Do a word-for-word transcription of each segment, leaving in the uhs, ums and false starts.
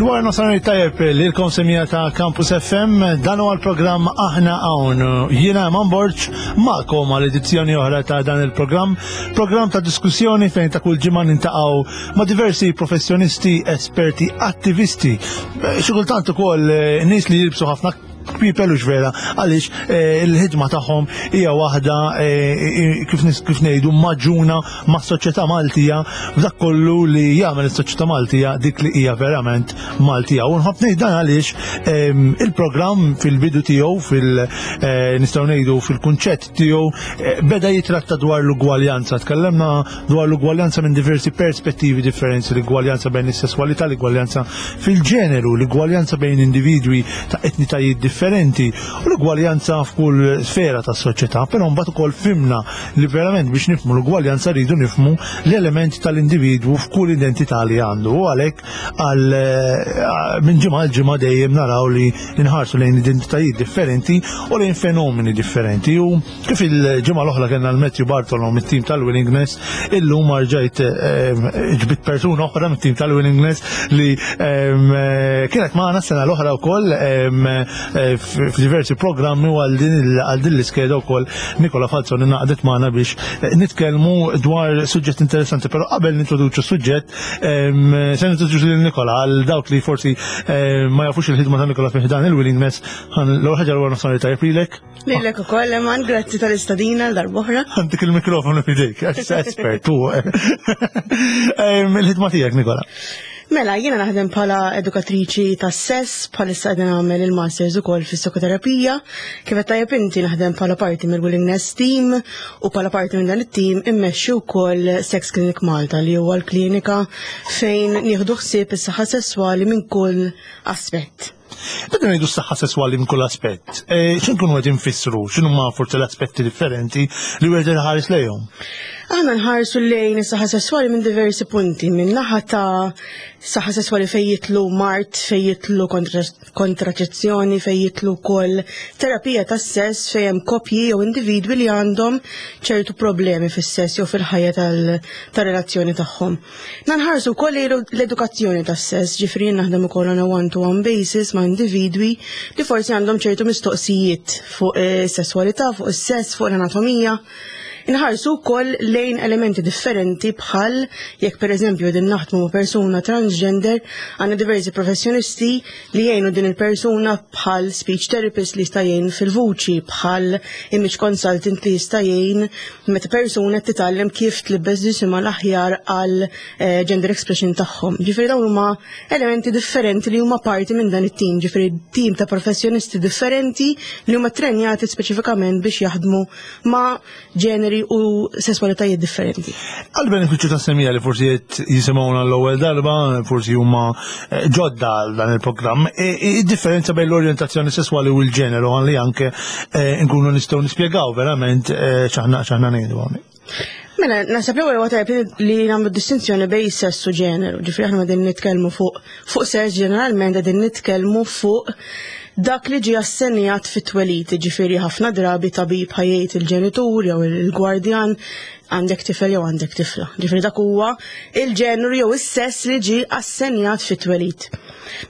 Il-wara nofsinhar tajjeb lilkom, semmiegħa ta' Campus F M, dan huwa l-programm Aħna Hawn. Jiena Eman Borg magħkom għal edizzjoni oħra ta' dan il-programm, programm ta' diskussjoni fejn ta' kull ġimgħa niltaqgħu ma' diversi professjonisti, esperti, attivisti, xi kultant ukoll eh, nies li jilbsu ħafna kpipel u vera għaliex eh, il-ħidma tagħhom hija waħda eh, kif nis- kif ngħidu magħġuna mas-soċjetà Maltija, f'dak kollu li jagħmel is-soċjetà Maltija dik li hija verament Maltija. U nħobb ngħid dan għaliex ehm, il-programm fil-bidu tiegħu, fil eh, nistgħu ngħidu fil-kunċett tiegħu, eh, beda jitratta dwar l-ugwaljanza. Tkellemna dwar l-ugwaljanza minn diversi perspettivi differenti, l-ugwaljanza bejn is-sesswalità, l-ugwaljanza fil-ġeneru, l-ugwaljanza bejn individwi ta' etnitajiet differenti u l-ugwaljanza f'kull sfera tas-soċjetà, però mbagħad ukoll fhimna li verament biex nifhmu l-ugwaljanza rridu nifhmu l-element tal-individwu f'kull identità li għandu. U għalhekk għal eh, minn ġimgħa għal ġimgħa dejjem naraw li nħarsu lejn identitajiet differenti u lejn fenomeni differenti. U kif il-ġimgħa l-oħra kellna l-Matthew Bartolo mit-tim tal-Willingness, illum rġajt eh, ġbidt persuna oħra mit-tim tal-Willingness li em, eh, kienet magħna s-sena l-oħra wkoll em, eh, f'diversi programmi, u għal din il- għal din l-iskeda wkoll Nikola Falzoni ngħaqdet magħna biex eh, nitkellmu dwar suġġett interessanti, però qabel nintroduċu suġġett em, se nintroduċu lil Nikola għal dawk li forsi eh, ma jafux il-ħidma ta' Nikola fi dan il-Willingness. L-ewwel ħaġa, l-wara nofsinhar tajjeb lilek. Lilek ukoll, Eman, grazzi tal-istedina l-darb'oħra. Għandek il-mikrofonu f'idejk, għax espert tu. Em, Il-ħidma tiegħek, Nikola. Mela, jiena naħdem bħala edukatriċi tas sess, bħalissa qegħdin nagħmel il-masters ukoll fis-psikoterapija. Kif qed tajjeb inti, naħdem bħala parti mill-Willingness Team u bħala parti minn dan it-team immexxi wkoll Sex Clinic Malta, li huwa l-klinika fejn nieħdu ħsieb is-saħħa sesswali minn kull aspett. Meta ngħidu s-saħħa sesswali minn kull aspett, eh, x'inkunu qed infissru, x'inhu ma forsi l-aspetti differenti li wieħed iħares lejhom? Aħna nħarsu lejn is-saħħa sesswali minn diversi punti, minn naħa ta' saħħa sesswali fejn jidħlu mard, fejn jidħlu kontra- kontraċezzjoni, fejn jidħlu wkoll terapija tas-sess fejn hemm koppji jew individwi li għandhom ċertu problemi fis-sess jew fil-ħajja tal- tar-relazzjoni tagħhom. Nħarsu wkoll lejn l-edukazzjoni tas-sess, ġifieri naħdem ukoll on a one-to-one basis ma' individwi li forsi għandhom ċertu mistoqsijiet fuq is-sesswalità, fuq is-sess, fuq l-anatomija. Inħarsu wkoll lejn elementi differenti, bħal jekk pereżempju din naħdmu ma' persuna transgender, għandna diversi professjonisti li jgħinu din il-persuna, bħal speech therapist li jista' jgħin fil-vuċi, bħal image consultant li jista' jgħin meta persuna titgħallem kif tlibbes ġisimha l-aħjar għal eh, gender expression tagħhom. Ġifieri dawn huma elementi differenti li huma parti minn dan it-tim, ġifieri tim ta' professjonisti differenti li huma trenjati speċifikament biex jaħdmu ma' ġeneri u sesswalitajiet differenti. Għal benefiċċju ta' semmiegħa li forsi qed jisimgħuna l-ewwel darba, forsi huma eh, ġodda għal dan il-programm, e- e- id-differenza bejn l-orjentazzjoni sesswali u l-ġeneru, għalli anke eh, nkunu nistgħu nispjegaw verament eh, x'aħna x'aħna ngħidu hawnhekk. Mela, naħseb l-ewwel huwa tajjeb li nagħmlu distinzjoni bejn sess u ġeneru. Ġifieri aħna qegħdin nitkellmu fuq fuq sess, ġeneralment qegħdin nitkellmu fuq dak li ġie assenjat fit-twelid, ġifieri ħafna drabi tabib ħa jgħid il-ġenitur jew il-gwardjan għandek tifel jew għandek tifla. Ġifieri dak huwa il-ġeneru jew is-sess li ġie assenjat fit-twelid.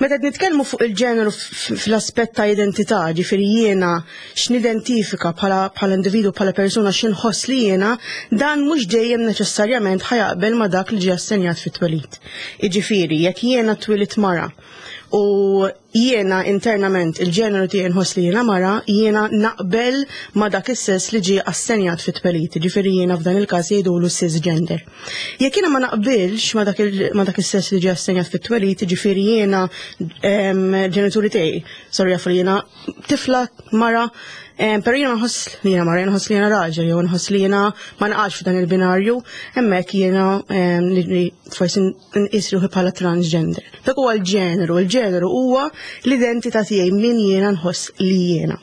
Meta qed nitkellmu fuq il-ġeneru fl-aspett ta' identità, ġifieri jiena x'nidentifika bħala bħala individu, bħala persuna, x'inħoss li jiena, dan mhux dejjem neċessarjament ħa jaqbel ma' dak li ġie assenjat fit-twelid. Jiġifieri jekk jiena twelidt mara u jiena internament il-ġeneru tiegħi nħoss li jiena mara, jiena naqbel ma' dak is-sess li ġie assenjat fit-twelid, ġifieri jiena f'dan il-każ jgħidulu cisgender. Jekk jiena ma naqbilx ma' dak il- ma' dak is-sess li ġie assenjat fit-twelid, ġifieri jiena em, ġenituri tiegħi, sorry, jafu li jiena tifla, mara, em, però jiena nħoss li jiena mara, jiena nħoss li jiena raġel, jew nħoss li jiena ma naqax f'dan il-binarju, hemmhekk jiena em, li li forsi nqis ruħi bħala transgender. Dak huwa l-ġeneru, il-ġeneru huwa l-identità tiegħi, min jiena nħoss li jiena.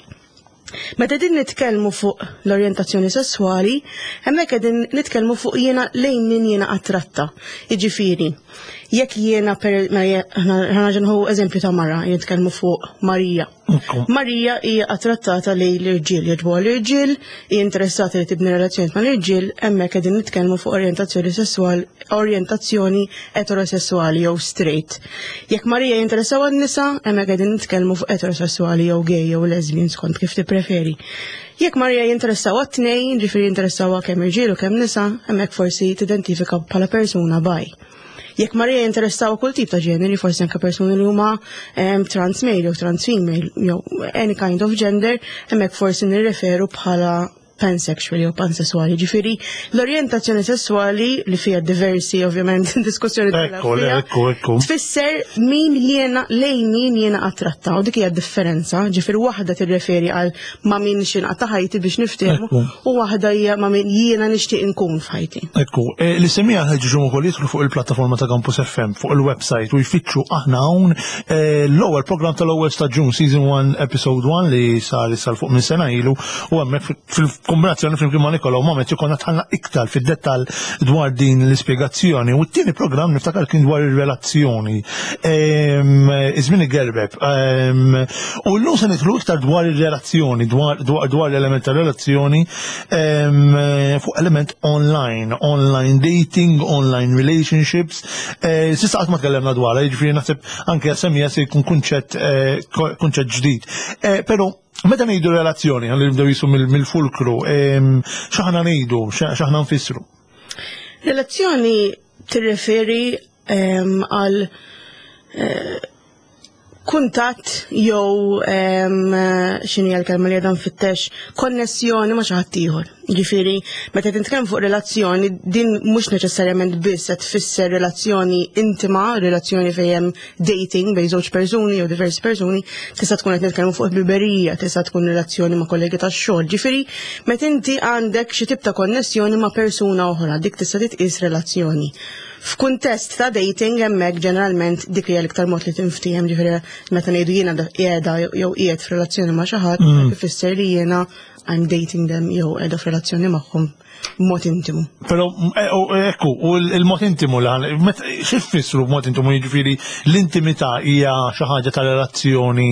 Meta din nitkellmu fuq l-orjentazzjoni sessuali, hemmhekk qegħdin nitkellmu fuq jiena lejn min jiena attratta. Jiġifieri, Jekk jiena per ħa nieħdu eżempju ta' mara, jitkellmu fuq Marija. Marija hija attrattata lejn l-irġiel, jogħġbuha l-irġiel, hija interessata li tibni relazzjoni ma' l-irġiel, hemmhekk qegħdin nitkellmu fuq orjentazzjoni sessuali, orjentazzjoni eterosessuali jew straight. Jekk Marija jinteressaw n-nisa, hemmhekk qegħdin nitkellmu fuq eterosessuali jew gay jew lesbian, skont kif tippreferi. Jekk Marija jinteressaw għat-tnejn, ġifieri jinteressaw kemm irġiel u kemm nisa, hemmhekk forsi tidentifika bħala persuna bi. Jekk Marija jinteressaw kull tip ta' ġeneri, forsi anke persuni li huma um, trans male jew trans female jew any kind of gender, hemmhekk forsi nirreferu bħala pansexual jew pansessuali. Ġifieri l-orjentazzjoni sessuali, li fija diversi ovvjament diskussjoni Ekku, ekku, ekku. Tfisser min jiena, lejn min jiena attratta, u dik hija differenza. Ġifieri waħda tirreferi għal ma' min xinqa ta' ħajti biex niftehmu u waħda hija ma' min jiena nixtieq inkun f'ħajti. Ekku, e, li semija ħeġġu ukoll jidħlu fuq il-plattaforma ta' Campus F M fuq il-website u jfittxu Aħna Hawn, e, l-ewwel program tal-ewwel staġun, season one episode one, li sar sar fuq minn sena ilu, u hemmhekk fil-kombinazzjoni flimkien ma' Nikola u ma' Matthew konna dħalna iktar fid-dettall dwar din l-ispjegazzjoni. U t-tieni program niftakar kien dwar ir-relazzjoni. Iż-żmien igerbeb. U llum se nidħlu iktar dwar ir-relazzjoni, dwar dwar l-element ta' relazzjoni fuq element online, online dating, online relationships. Eh, s'issa qatt ma tkellemna dwar, jiġifieri naħseb anke semija se jkun kunċett eh, kunċett ġdid. Eh, però meta ngħidu relazzjoni, ħalli nibdew jisu mill-fulkru, x'aħna ngħidu, x'aħna nfissru? Relazzjoni tirreferi għal kuntatt jew, x'inhi l-kelma li għadha nfittex, konnessjoni ma' xi ħadd ieħor. Ġifieri, meta titkellem fuq relazzjoni, din mhux neċessarjament biss qed tfisser relazzjoni intima, relazzjoni fejn hemm dating bejn żewġ persuni jew diversi persuni, tista' tkun qed nitkellmu fuq ħbiberija, tista' tkun relazzjoni ma' kollegi tax-xogħol. Ġifieri, meta inti għandek xi tip ta' konnessjoni ma' persuna oħra, dik tista' titqis relazzjoni. F'kuntest ta' dating, hemmhekk ġeneralment dik hija l-iktar mod li tinftiehem, ġifieri meta ngħidu jiena qiegħda jew qiegħed f'relazzjoni ma' xi ħadd, mm. ifisser li jiena I'm dating them jew qiegħda f'relazzjoni magħhom b'mod intimu. Però eh, ekku, u il-mod intimu xi tfissru b'mod intimu? Jiġifieri l-intimità hija xi ħaġa ta' relazzjoni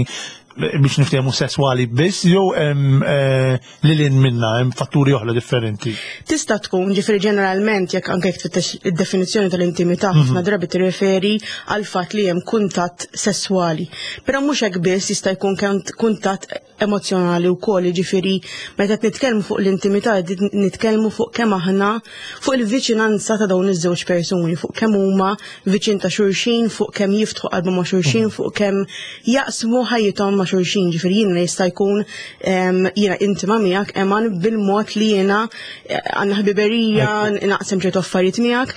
biex niftehmu sesswali biss jew hemm eh, lil hinn minna, hemm fatturi oħra differenti? Tista' tkun, ġifieri ġeneralment jekk anke jekk tfittex id-definizzjoni tal-intimità, mhm. ħafna drabi tirreferi għal fatt li hemm kuntatt sesswali. Però mhux hekk biss, jista' jkun kuntatt emozjonali wkoll, ġifieri meta qed nitkellmu fuq l-intimità nitkellmu fuq kemm aħna, fuq il-viċinanza ta' dawn iż-żewġ persuni, fuq kemm huma viċin ta' xulxin, fuq kemm jiftħu qalbu ma' xulxin, mhm. fuq kemm jaqsmu ħajjithom ma' xulxin. Ġifieri jiena jista' jkun jiena intima miegħek, Eman, bil-mod li jiena eh, għandna ħbiberija, naqsem ċertu affarijiet miegħek,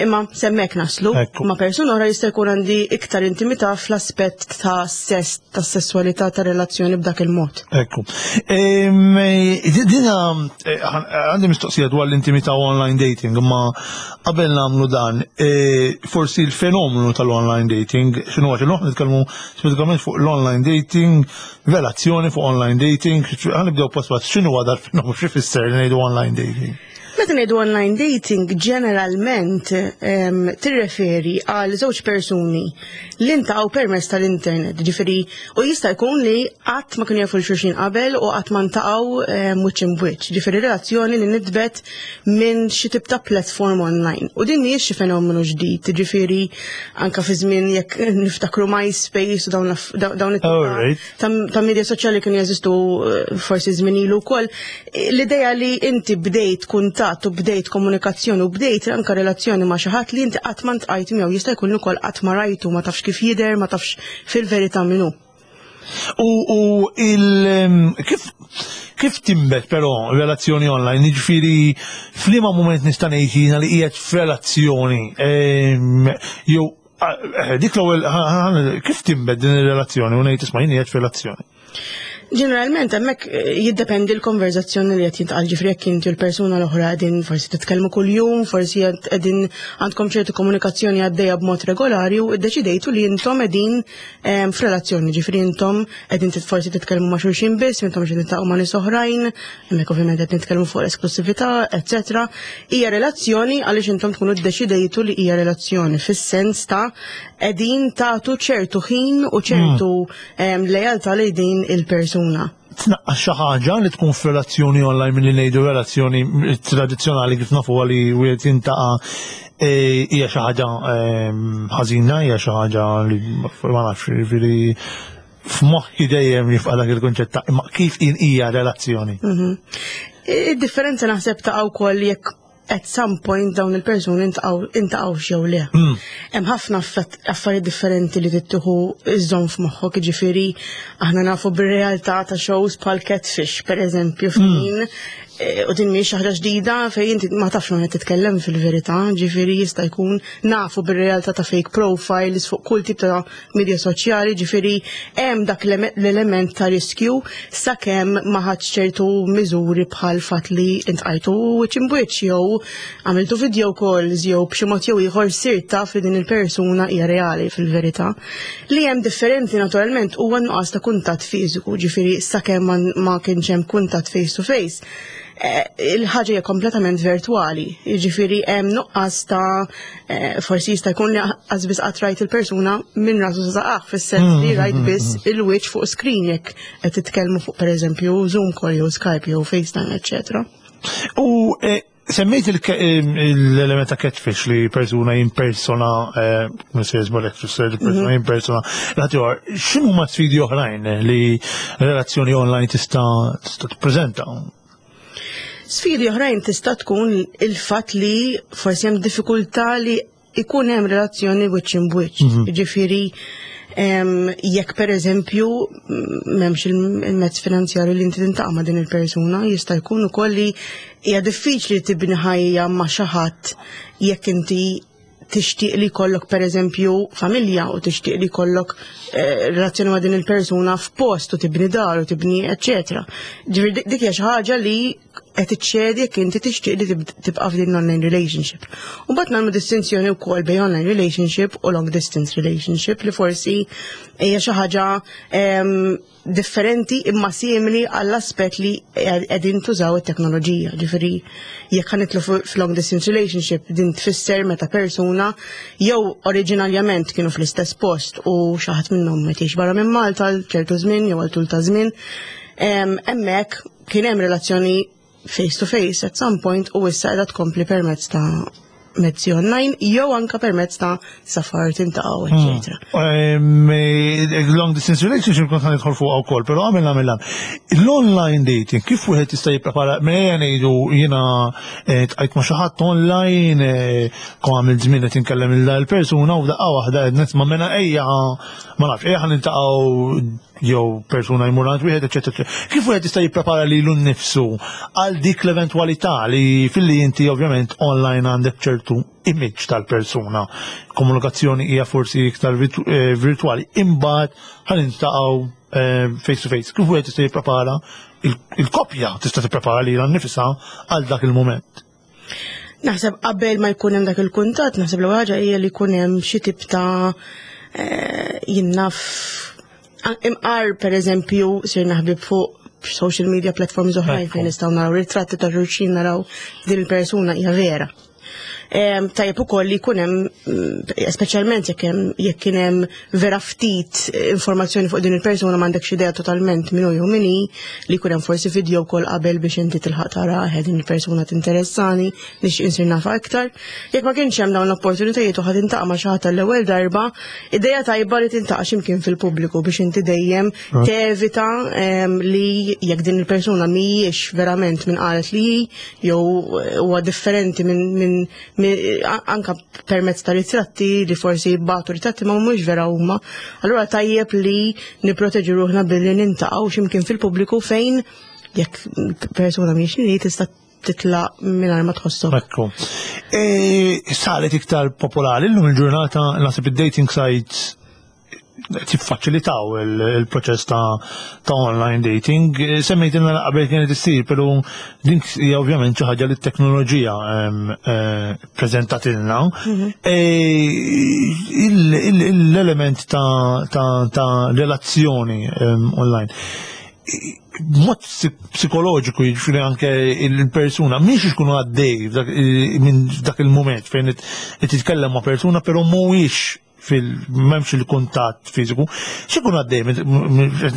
imma s'hemmhekk naslu. Ma' persuna oħra jista' jkun għandi iktar intimità fl-aspett ta' sess, ta' sessualità, ta' relazzjoni b'dak il-mod. Ekku. Dina eh, għandi mistoqsija dwar l-intimità online dating, imma qabel nagħmlu dan, eh, forsi l-fenomenu tal-online dating, x'inhu, għax illum nitkellmu speċifikament fuq l-online dating, relazzjoni fuq online dating, ħa nibdew pass pass, x'inhu dal-fenomenu, x'ifisser li ngħidu online dating? Meta ngħidu online dating, ġeneralment tirreferi għal żewġ persuni li ntaqgħu permezz tal-internet, ġifieri u jista' jkun li qatt ma kienu jafu xulxin qabel u qatt ma ntaqgħu wiċċ imb'wiċċ, ġifieri relazzjoni li nbdiet minn xi tip ta' platform online. U din mhijiex xi fenomenu ġdid, ġifieri anka fi żmien jekk niftakru MySpace u dawn dawn ta' media soċjali kienu jeżistu eh, forsi żmien ilu wkoll. L-idea li inti bdejt kuntatt u bdejt komunikazzjoni u bdejt anka relazzjoni ma' xi ħadd li inti qatt ma ntqajt miegħu, jista' jkun ukoll qatt ma rajtu, ma tafx kif jidher, ma tafx fil-verità min hu. U, u il kif kif tinbet però relazzjoni online, jiġifieri f'liema moment nista' ngħid jiena li qiegħed f'relazzjoni, jew eh, dik l-ewwel, kif tinbet din ir-relazzjoni u ngħid, "Isma', jien qiegħed f'relazzjoni"? Ġeneralment hemmhekk eh, jiddependi l-konverzazzjoni li qed jintqal, ġifieri jekk inti l-persuna l-oħra qegħdin forsi titkellmu kuljum, forsi qegħdin għandkom ċertu komunikazzjoni għaddejja b'mod regolari u ddeċidejtu li intom qegħdin ehm, f'relazzjoni, ġifieri intom qegħdin forsi titkellmu ma' xulxin biss, intom xi tiltaqgħu ma' nies oħrajn, hemmhekk ovvjament qed nitkellmu fuq l-esklusività, eċetera. Hija relazzjoni għaliex intom tkunu ddeċidejtu li hija relazzjoni fis-sens ta' qegħdin tagħtu ċertu ħin u ċertu mm. lealtà lejn din il-persuna. Tnaqqas xi ħaġa li tkun f'relazzjoni online milli ngħidu relazzjoni tradizzjonali kif nafu li wieħed jiltaqa' e, hija xi ħaġa ħażina, hija xi ħaġa li ma nafx, jiġifieri f'moħħi dejjem jibqa' dak il-kunċett ta' imma kif hija relazzjoni. Mhm. Id-differenza naħseb ta' wkoll jekk at some point dawn il-persuni iltaqgħu jew le. Mm. Hemm ħafna affarijiet differenti li tieħu iżżomm f'moħħok, ġifieri aħna nafu bir-realtà ta' shows bħal Catfish, per eżempju, fejn mm. eh, u din mhix ħaġa ġdida fejn inti ma tafx ma titkellem fil-verità, ġifieri jista' jkun nafu bir-realtà ta' fake profiles fuq kull tip ta' media soċjali, ġifieri hemm dak l-element ta' riskju sakemm ma ħadx ċertu miżuri bħal fatt li iltqajtu wiċċ imb'wiċċ jew għamiltu video calls jew b'xi mod jew ieħor sirt taf li din il-persuna hija reali fil-verità. Li hemm differenti naturalment huwa nuqqas ta' kuntatt fiżiku, ġifieri sakemm ma kienx hemm kuntatt face to face. Eh, il-ħaġa hija kompletament virtuali, jiġifieri hemm nuqqas ta' eh, forsi jista' jkun li qas biss qatt rajt il-persuna minn rasu sa saqajh, fis-sens li rajt biss il-wiċċ fuq screen jekk qed titkellmu fuq, pereżempju, Zoom call jew Skype jew FaceTime, eċċetera. U eh, semmejt l-element ta' catfish li persuna jimpersona, mhux żbalek, persuna jimpersona, l-ħaddieħor, x'inhuma sfidi oħrajn li relazzjoni online tista' tista' tippreżenta? Sfidi oħrajn tista' tkun il-fatt li forsi hemm diffikultà li ikun hemm relazzjoni wiċċ imb'wiċċ. Ġifieri jekk per eżempju m'hemmx il-mezz finanzjarju li inti tiltaqa' ma' din il-persuna, jista' jkun ukoll li hija diffiċli tibni ħajja ma' xi ħadd jekk inti tixtieq li jkollok, per eżempju, familja u tixtieq li jkollok eh, relazzjoni ma' din il-persuna f'post u tibni dar u tibni eċċetera. Ġifieri dik hija xi ħaġa li qed iċċedi jekk inti tixtieq li tibqa' f'din online relationship. U mbagħad nagħmlu distinzjoni wkoll bejn online relationship u long distance relationship li forsi hija xi ħaġa differenti imma simili għall-aspett li qegħdin tużaw it-teknoloġija. Ġifieri jekk ħa nidħlu f'long distance relationship, din tfisser meta persuna jew oriġinarjament kienu fl-istess post u xi ħadd minnhom qed barra minn Malta għal ċertu żmien jew għal tul ta' żmien. Hemmhekk kien hemm relazzjoni face to face at some point u issa qiegħda tkompli permezz ta' mezzi online jew anka permezz ta' safar, tiltaqgħu, eċetera. Hmm. Long distance relationship kont nidħol fuq wkoll, però għamilna mill L-online dating, kif wieħed jista' jipprepara? Mela ngħidu jiena eh, ltqajt ma' xi ħadd online, eh, kon għamil żmien qed inkellem il-persuna u daqqa waħda qed nisma' mena ejja, ma nafx, ejja ħa niltaqgħu jew persuna jmur għand wieħed, eċetera. Kif wieħed jista' jipprepara lilu nnifsu għal dik l-eventwalità li filli inti ovvjament online għandek ċertu image tal-persuna, komunikazzjoni hija forsi iktar eh, virtuali, imbagħad ħa niltaqgħu eh, face to face? Kif wieħed jista' jipprepara, il-koppja tista' tipprepara lilha nnifisha għal dak il-moment? Naħseb qabel ma jkun hemm dak il-kuntatt, naħseb l ħaġa hija li jkun hemm xi tip ta' eh, jien naf, imqar per eżempju sirna ħbieb fuq social media platforms oħrajn fejn nistgħu naraw ritratti ta' xulxin, naraw din il-persuna hija vera. Tajjeb ukoll li jkun hemm, mm, speċjalment jekk hemm jekk kien hemm vera ftit informazzjoni fuq din il-persuna, m'għandekx idea totalment min hu jew min hi, li jkun hemm forsi video wkoll qabel biex inti tilħaq tara din il-persuna tinteressani, nixtieq insir nafha aktar. Jekk ma kienx hemm dawn l-opportunitajiet u ħa tiltaqa' ma' xi ħadd l-ewwel darba, ideja tajba li tiltaqa' x'imkien fil-pubbliku biex inti dejjem tevita li jekk din il-persuna mhijiex verament min qalet li hi jew huwa differenti minn anka permezz ta' ritratti li forsi bagħtu ritratti ma mhux vera huma. Allura tajjeb li nipproteġu ruħna billi niltaqgħu x'imkien fil-pubbliku fejn jekk persuna mhijiex li tista' titlaq mingħajr ma tħossok. Ekku. E, saret iktar popolari llum il-ġurnata, naħseb, id-dating sites. Tiffaċilitaw il-proċess ta' ta' online dating. Semmejtilna qabel kienet issir, però din hija ovvjament xi ħaġa li t-teknoloġija eh, preżentatilna. Mhm. Eh, l-element ta' relazzjoni online mod psikoloġiku, jiġifieri anke il-persuna mhix ikunu għaddej minn dak il-moment fejn qed titkellem ma' persuna, però mhuwiex fil m'hemmx il-kuntatt fiżiku. X'ikun għaddej?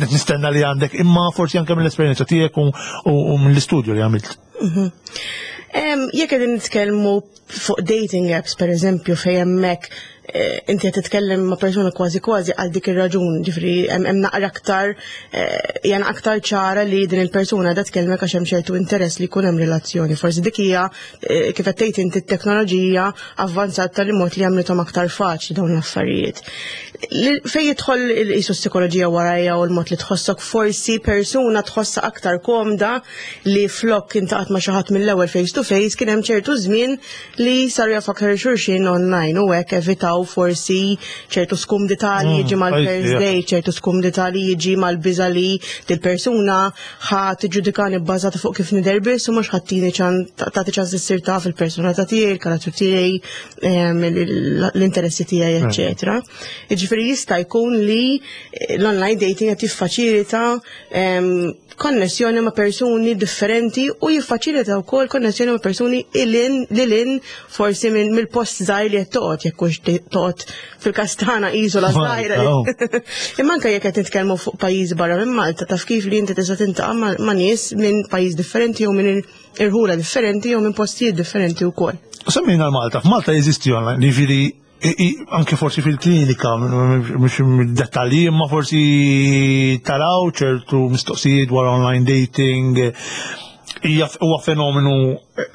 Nistenna li għandek, imma forsi anke mill-esperjenza tiegħek u mill-istudju li għamilt. Mhm. Jekk qegħdin nitkellmu fuq dating apps, per eżempju, fejn hemmhekk eh, inti qed titkellem ma' persuna kważi kważi għal dik ir-raġun, ġifieri hemm naqra aktar eh, jana aktar ċara li din il-persuna da tkellmek għax hemm ċertu interess li jkun hemm relazzjoni. Forsi dik hija eh, kif qed tgħid inti, t-teknoloġija avvanzata tal mod li għamlithom aktar faċli dawn l-affarijiet. Fej jidħol qisu psikoloġija warajja u l-mod li tħossok, forsi persuna tħossa aktar komda li flok intaqat ma' xi ħadd mill-ewwel face to face, kien hemm ċertu żmien li saru jafu aktar xulxin online u hekk evitaw forsi ċertu skumdità li jiġi mm, mal-first date, ċertu skumdità li jiġi mal-biża li dil-persuna ħa tiġġudikani bbażata fuq kif nidher biss u mhux ħa ttini tagħti ċans issir taf il-persuna ta' tiegħi, il-karattru tiegħi, l-interessi tiegħi, eċċetera. Jiġifieri jista' jkun li l-online dating qed jiffaċilita konnessjoni ma' persuni differenti u jiffaċilita wkoll konnessjoni ma' persuni ilin lilin forsi mill-post żgħir li qed toqgħod, jekk hux toqgħod fil-Kastana, iżola żgħira. Imma anke jekk qed nitkellmu fuq pajjiż barra minn Malta, taf kif, li inti tista' tintaqa' ma' nies minn pajjiż differenti jew minn irħula differenti jew minn postijiet differenti wkoll. Semmejna l-Malta, f'Malta jeżisti online, jiġifieri anke forsi fil-klinika, mhux dettalji, imma forsi taraw ċertu mistoqsijiet dwar online dating. Hija huwa fenomenu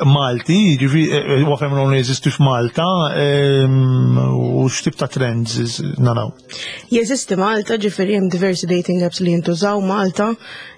Malti, jiġifieri huwa fenomenu li jeżisti f'Malta, u x'tip ta' trends naraw? Jeżisti Malta, ġifieri hemm diversi dating apps li jintużaw Malta.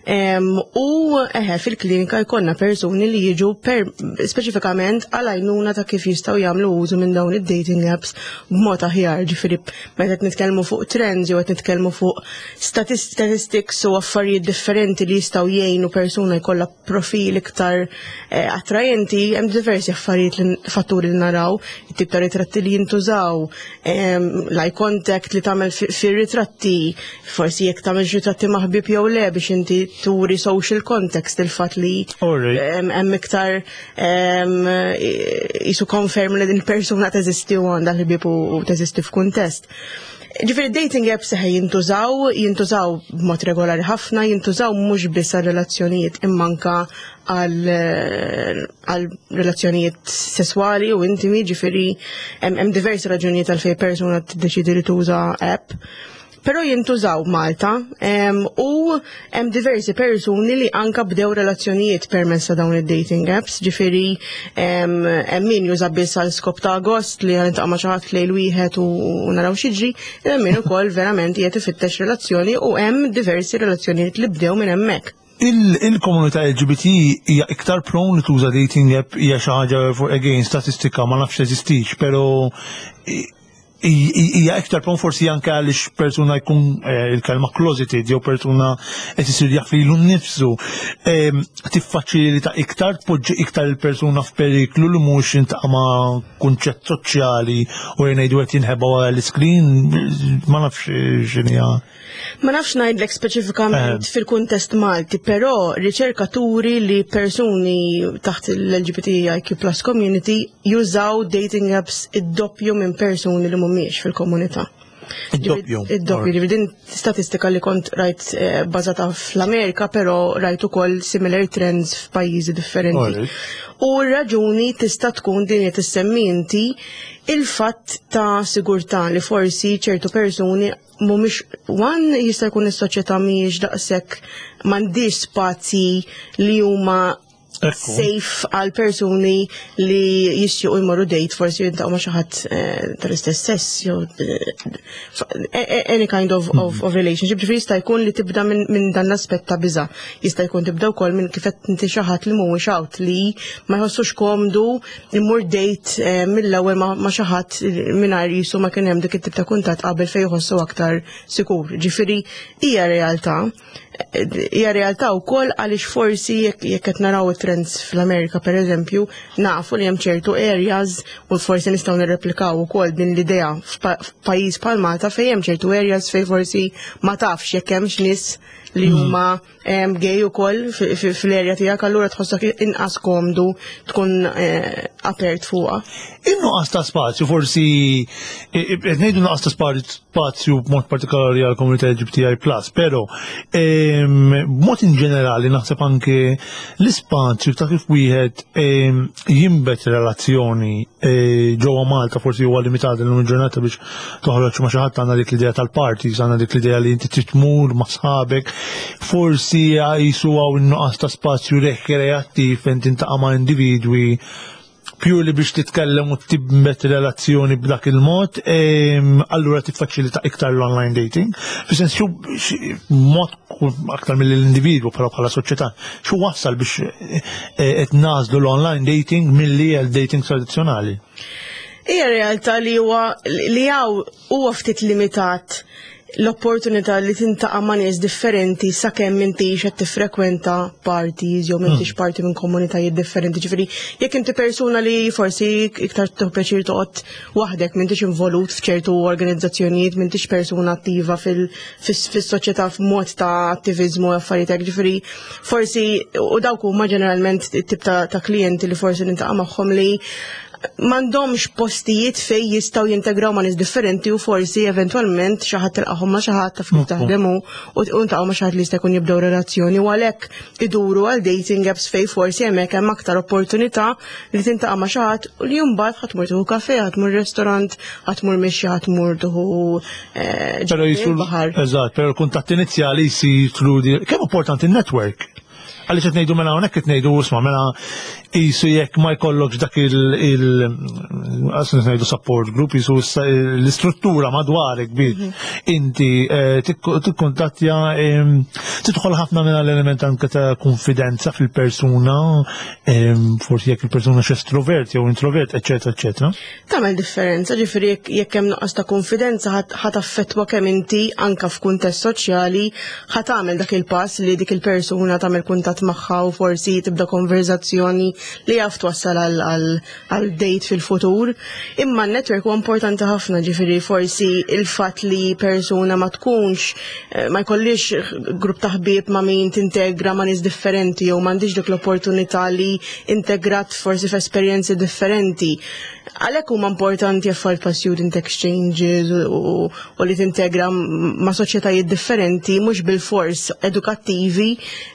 U eħe, fil-klinika jkollna persuni li jiġu per speċifikament għal għajnuna ta' kif jistgħu jagħmlu użu minn dawn id-dating apps b'mod aħjar, ġifieri meta qed nitkellmu fuq trends jew qed nitkellmu fuq statistics u affarijiet differenti li jistgħu jgħinu persuna jkollha profil iktar eh, attrajenti, hemm diversi affarijiet li fatturi li naraw, it-tip ta' ritratti li jintużaw, l-eye contact li tagħmel fir-ritratti, forsi jekk tagħmel ritratti ma' ħbieb jew le biex inti turi social context, il-fatt li hemm iktar qisu konferma li din persuna teżisti u għandha ħbieb u teżisti f'kuntest. Ġifieri dating apps seħe jintużaw, jintużaw b'mod regolari ħafna, jintużaw mhux biss għal relazzjonijiet imma anka għal relazzjonijiet sesswali u intimi, ġifieri hemm diversi raġunijiet għal fej persuna tiddeċidi li tuża app. Però jintużaw Malta u hemm diversi persuni li anka bdew relazzjonijiet permezz ta' dawn id-dating apps, ġifieri hemm min juża biss għal skop ta' gost li ħa niltaqa' ma' xi ħadd lejl wieħed u naraw x'jiġri, hemm min ukoll verament qiegħed ifittex relazzjoni u hemm diversi relazzjonijiet li bdew minn hemmhekk. Il-komunità L G B T hija iktar prone li tuża dating app? Hija xi ħaġa, again, statistika ma nafx teżistix, però hija iktar prone forsi anke għaliex persuna jkun eh, il-kelma closeted jew persuna qed isir jaf lilu nnifsu. Tiffaċilita iktar, tpoġġi iktar il-persuna f'periklu li mhux jiltaqa' ma' kunċett soċjali u jgħidu qed jinħeba wara l-screen, ma nafx x'inhija. Ma nafx ngħidlek speċifikament fil-kuntest Malti, però riċerkaturi li persuni taħt l-L G B T I Q plus community jużaw dating apps id-doppju minn persuni li mhumiex fil-komunità. Id-doppju. Id-doppju, ġifieri din statistika li kont rajt eh, bażata fl-Amerika, però rajt ukoll similar trends f'pajjiżi differenti. U r-raġuni tista' tkun din li tissemmi inti, il-fatt ta' sigurtà li forsi ċertu persuni mhumiex one jista' jkun is-soċjetà mhijiex daqshekk, m'għandix spazji li huma Safe għal persuni li jixtiequ jmorru date, forsi jiltaqgħu ma' xi ħadd eh, tal-istess sess jew eh, any kind of, of, of relationship. Ġifieri jista' jkun li tibda minn min dan l-aspett ta' biża'. Jista' jkun tibda wkoll minn kif qed inti, xi ħadd li mhuwiex out, li ma jħossux komdu imur date eh, mill-ewwel ma' xi ħadd mingħajr jisu ma kien hemm dik it-tip ta' kuntatt qabel fejn jħossu aktar sikur. Ġifieri hija realtà hija realtà wkoll għaliex forsi jekk qed naraw it-trends fl-Amerika, pereżempju, nafu li hemm ċertu areas u forsi nistgħu nirreplikaw ukoll din l-idea f'pajjiż bħal Malta, fejn hemm ċertu areas fejn forsi ma tafx jekk hemmx nies li hmm. huma gay ukoll fl-area tiegħek, allura tħossok inqas komdu tkun eh, apert fuqha. In-nuqqas ta' spazju, forsi qed ngħidu nuqqas ta' spazju b'mod partikolari għal komunità L G B T I plus, però b'mod in ġenerali naħseb anke l-ispazju ta' kif wieħed jinbet relazzjoni e, ġewwa Malta forsi huwa limitat illum il-ġurnata. Biex toħroġ ma' xi ħadd għandna dik l-idea tal-parties, għandna dik l-idea li inti trid tmur ma' sħabek, forsi jisu hawn in-nuqqas ta' spazju rekreattiv fejn tintaqa' ma' individwi purely biex titkellem u tibmet relazzjoni b'dak il-mod, allura tiffaċilita iktar l-online dating. Fis-sens, xu mod aktar mill-individwu, però bħala soċjetà, xu wassal biex eh, qed nagħżlu l-online dating milli l-dating tradizzjonali? Hija realtà li huwa li hawn huwa ftit limitat l-opportunità li tintaqa' ma' nies differenti sakemm m'intix qed tiffrekwenta parties jew m'intix hmm. parti minn komunitajiet differenti. Ġifieri jekk inti persuna li forsi iktar tieħu pjaċir toqgħod waħdek, m'intix involut f'ċertu organizzazzjonijiet, m'intix persuna attiva fis-soċjetà f'mod ta' attiviżmu u affarijiet hekk, ġifieri forsi u dawk huma ġeneralment tip ta' klijenti li forsi nintaqa' magħhom li m'għandhomx postijiet fej jistgħu jintegraw ma' nies differenti u forsi eventwalment xi ħadd tilqahom ma' xi ħadd taf kif taħdem u ntaqgħu ma' xi ħadd li jista' jkun jibdew relazzjoni u għalhekk iduru għal dating apps fej forsi hemmhekk hemm aktar opportunità li tintaqa' ma' xi ħadd u li mbagħad ħa tmur tieħu kafe, ħa tmur restaurant, ħa tmur mixi, ħa tmur tieħu eh, Però jisu Eżatt, però l-kuntatt inizjali jsir through. Kemm importanti il-network? Għaliex qed ngħidu mela hawnhekk qed ngħidu, isma', mela jisu jekk ma jkollokx dak il il ngħidu support group, jisu l-istruttura madwarek biex mhm. inti eh, tikkuntattja, tidħol ħafna minn l-element anke ta' konfidenza fil-persuna, forsi jekk il-persuna x'estrovert jew introvert, eċetera, eċetera. Tagħmel differenza, ġifieri jekk hemm nuqqas ta' konfidenza ħa taffettwa kemm inti anka f'kuntest soċjali ħa tagħmel dak il-pass li dik il-persuna tagħmel kuntatt magħha u forsi tibda konverzazzjoni li jaf twassal għal date fil-futur. Imma n-network huwa importanti ħafna, ġifieri forsi il-fatt li persuna ma tkunx eh, ma jkollix grupp ta' ħbieb ma' min tintegra ma' nies differenti jew m'għandix dik l-opportunità li integrat forsi f'esperjenzi differenti. Għalhekk huma importanti affarijiet pa' student exchanges u, u li tintegra ma' soċjetajiet differenti, mhux bil-fors edukattivi,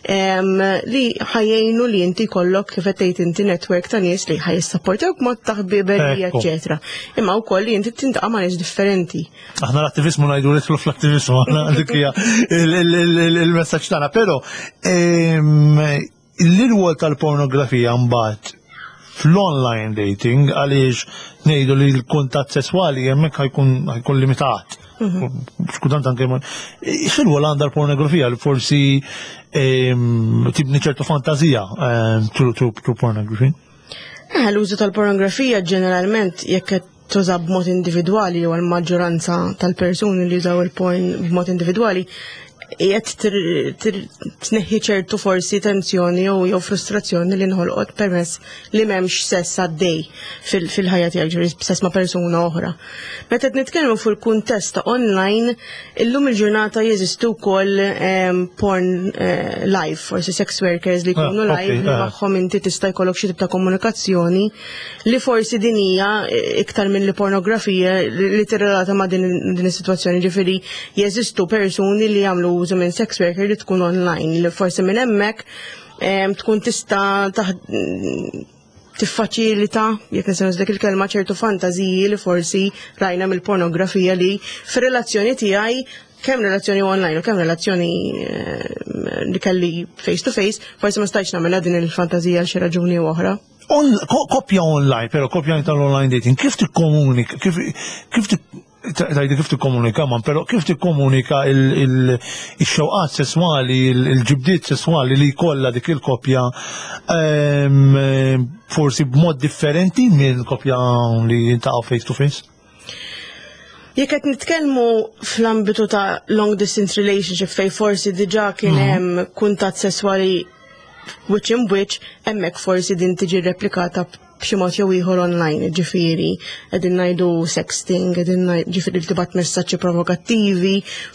em, li ħa jgħinu li inti kollok, kif qed tgħid inti, network ta' nies li ħa jissapportewk mod ta' ħbiberija, Ekku. eċetera. Imma wkoll li inti tintaqa' ma' nies differenti. Aħna l-attivizmu ngħidu li fl-attivizmu, aħna dik hija il- il- il- il-messaġġ tagħna, però ehm, l-irwol tal-pornografija mbagħad fl-online dating, għaliex ngħidu li l-kuntatt sesswali hemmhekk ħa jkun ħa jkun limitat. Xkultant anke ma- x'irwol għandha l-pornografija li forsi ehm, tibni ċertu fantazija ehm, through through through pornography? Eh, l-użu tal-pornografija ġeneralment, jekk qed tuża b'mod individwali jew l-maġġoranza tal-persuni li jużaw il-porn b'mod individwali, qiegħed tneħħi ċertu forsi tensjoni jew jew frustrazzjoni li nħolqot permess li m'hemmx sess għaddej fil-ħajja tiegħek, ġifieri sess ma' persuna oħra. Meta qed nitkellmu fuq il-kuntest ta' online, illum il-ġurnata jeżistu wkoll ehm, porn eh, live, forsi sex workers li jkunu Ah, live li ah. magħhom inti tista' jkollok xi tip ta' komunikazzjoni li forsi din hija iktar minn li pornografija li li tirrelata ma' din din is-sitwazzjoni, ġifieri jeżistu persuni li jagħmlu użu minn sex worker li tkun online li forsi minn hemmhekk em, tkun tista' taħ- tiffaċilita, jekk nistgħu dik il-kelma, ċertu fantażiji li forsi rajna mill-pornografija li fir-relazzjoni tiegħi kemm relazzjoni online u kemm relazzjoni eh, li kelli face to face, forsi ma stajtx nagħmilha din il-fantażija għal xi raġuni u oħra. On, ko, koppja online, pero koppja tal-online dating, kif tikkomunika, kif kif tajdi kif tikkomunika man, pero kif tikkomunika il-xewqat sesswali, il-ġibdiet sesswali li kollha dik il-koppja ehm, forsi b'mod differenti minn koppja li jiltaqgħu face to face? Jekk qed nitkellmu fl-ambitu ta' long distance relationship fej forsi diġà kien mhm. hemm kuntatt sesswali wiċċ in wiċċ, hemmhekk forsi din tiġi replikata b'xi mod jew ieħor online, ġifieri qegħdin ngħidu sexting, qegħdin ġifieri tibgħat messaġġi provokattivi,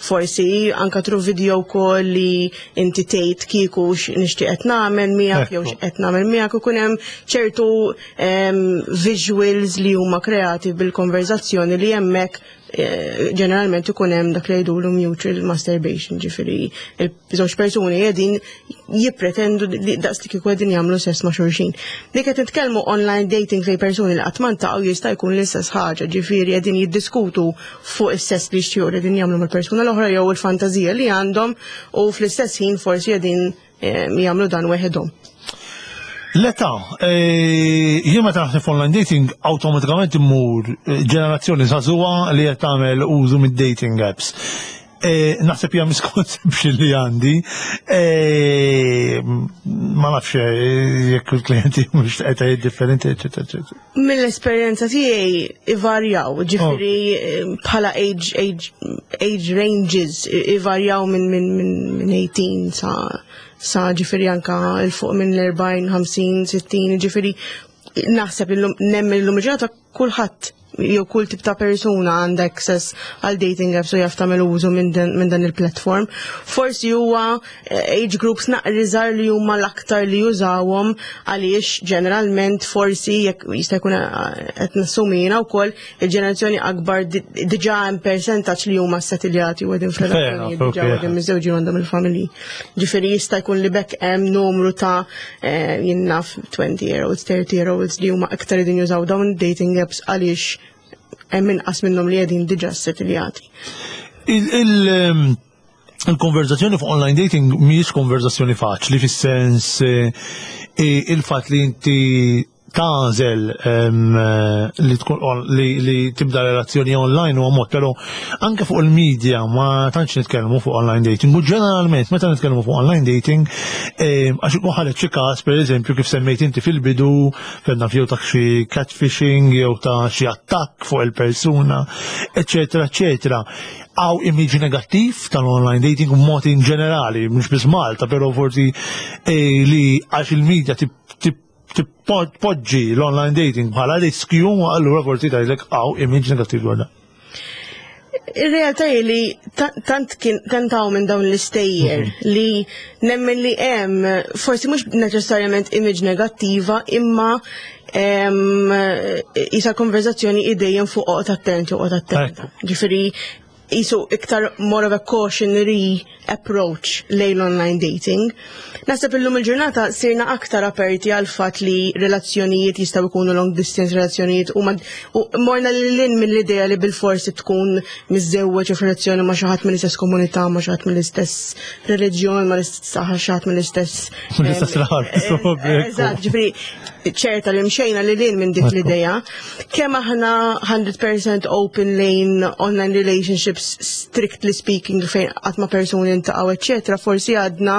forsi anka through video call li inti tgħid kieku nixtieq qed nagħmel miegħek jew x'qed nagħmel miegħek, ikun hemm ċertu visuals li huma kreati bil-konverzazzjoni li hemmhekk eh, ġeneralment ikun hemm dak li jgħidulu mutual masturbation, ġifieri il-żewġ persuni qegħdin jippretendu li daqs li kieku qegħdin jagħmlu sess ma' xulxin. Dik qed nitkellmu online dating fej persuni li qatt ma ntaqgħu, jista' jkun l-istess ħaġa, ġifieri qegħdin jiddiskutu fuq is-sess li jixtiequ li qegħdin jagħmlu mal-persuna l-oħra jew il-fantażija li għandhom u fl-istess ħin forsi qegħdin eh, jagħmlu dan weħedhom. L-età, eh, jien meta naħseb online dating awtomatikament immur eh, ġenerazzjoni żagħżugħa li qed tagħmel użu mid-dating apps. Eh, naħseb hija misconception li għandi. Ma nafx jekk il-klijenti mhux qed differenti, eċetera, eċetera. Mill-esperjenza tiegħi ivarjaw, ġifieri oh. bħala age, age, age ranges ivarjaw minn min, min, min tmintax sa sa ġifieri anka 'l fuq minn l-erbgħin, ħamsin, sittin, ġifieri naħseb illum nemmen illum il-ġurnata kulħadd jew kull tip ta' persuna għandha access għal dating apps u jaf tagħmel użu minn dan, minn dan il-platform. Forsi huwa eh, age groups naqra żgħar li huma l-aktar li jużawhom, għaliex ġeneralment forsi jekk jista' jkun eh, qed nassumi jiena wkoll il-ġenerazzjoni akbar di- diġà hemm percentaġġ li huma settiljati u qegħdin f'relazzjonijiet diġà okay. qegħdin miżżewġin, għandhom il-familji. Ġifieri jista' jkun li bekk hemm numru ta' eh, jien naf twenty year olds, thirty year olds li huma aktar qegħdin jużaw dawn dating apps għaliex hemm inqas minnhom li qegħdin diġà settiljati. Il- il- ehm, Il-konverzazzjoni fuq online dating mhijiex konverzazzjoni faċli fis-sens eh, eh, il-fatt li inti tagħżel ehm, eh, li tkun on- li, li tibda relazzjoni online huwa mod, però anke fuq il-media ma tantx nitkellmu fuq online dating. U ġeneralment meta nitkellmu fuq online dating, ehm, għax ikun ħareġ xi każ, pereżempju, kif semmejt inti fil-bidu, kellna jew ta' xi catfishing jew ta' xi attakk fuq il-persuna, eċetera, eċetera. Hawn image negattiv tal-online dating mod in ġenerali, mhux biss Malta, però forsi eh, li għax il-media tip tip tpoġġi l-online dating bħala riskju, allura forsi tgħidlek hawn image negattiv dwar dan. Ir-realtà hi li ta- tant kien tentaw minn dawn l-istejjer li nemmen li hemm forsi mhux neċessarjament image negattiva, imma em, isa konverzazzjoni idejjem fuq oqgħod attent u oqgħod attenta. Ġifieri jisu iktar more of a cautionary approach lejn online dating. Naħseb illum il-ġurnata sirna aktar aperti għal fatt li relazzjonijiet jistgħu jkunu long distance relazzjonijiet u, ma- u morna lil hinn mill-idea li bil-forsi tkun miżżewweġ u f'relazzjoni ma' xi ħadd mill-istess komunità, ma' xi ħadd mill-istess reliġjon, ma' l-istess xi ħadd mill-istess Mill-istess em, raħal, eh, probabbli. Eżatt, ġifieri ċerta li mxejna lil hinn minn dik l-idea. Kemm aħna mija fil-mija open lejn online relationships, strictly speaking, fejn qatt ma persuni ntaqgħu, eċetera, forsi għadna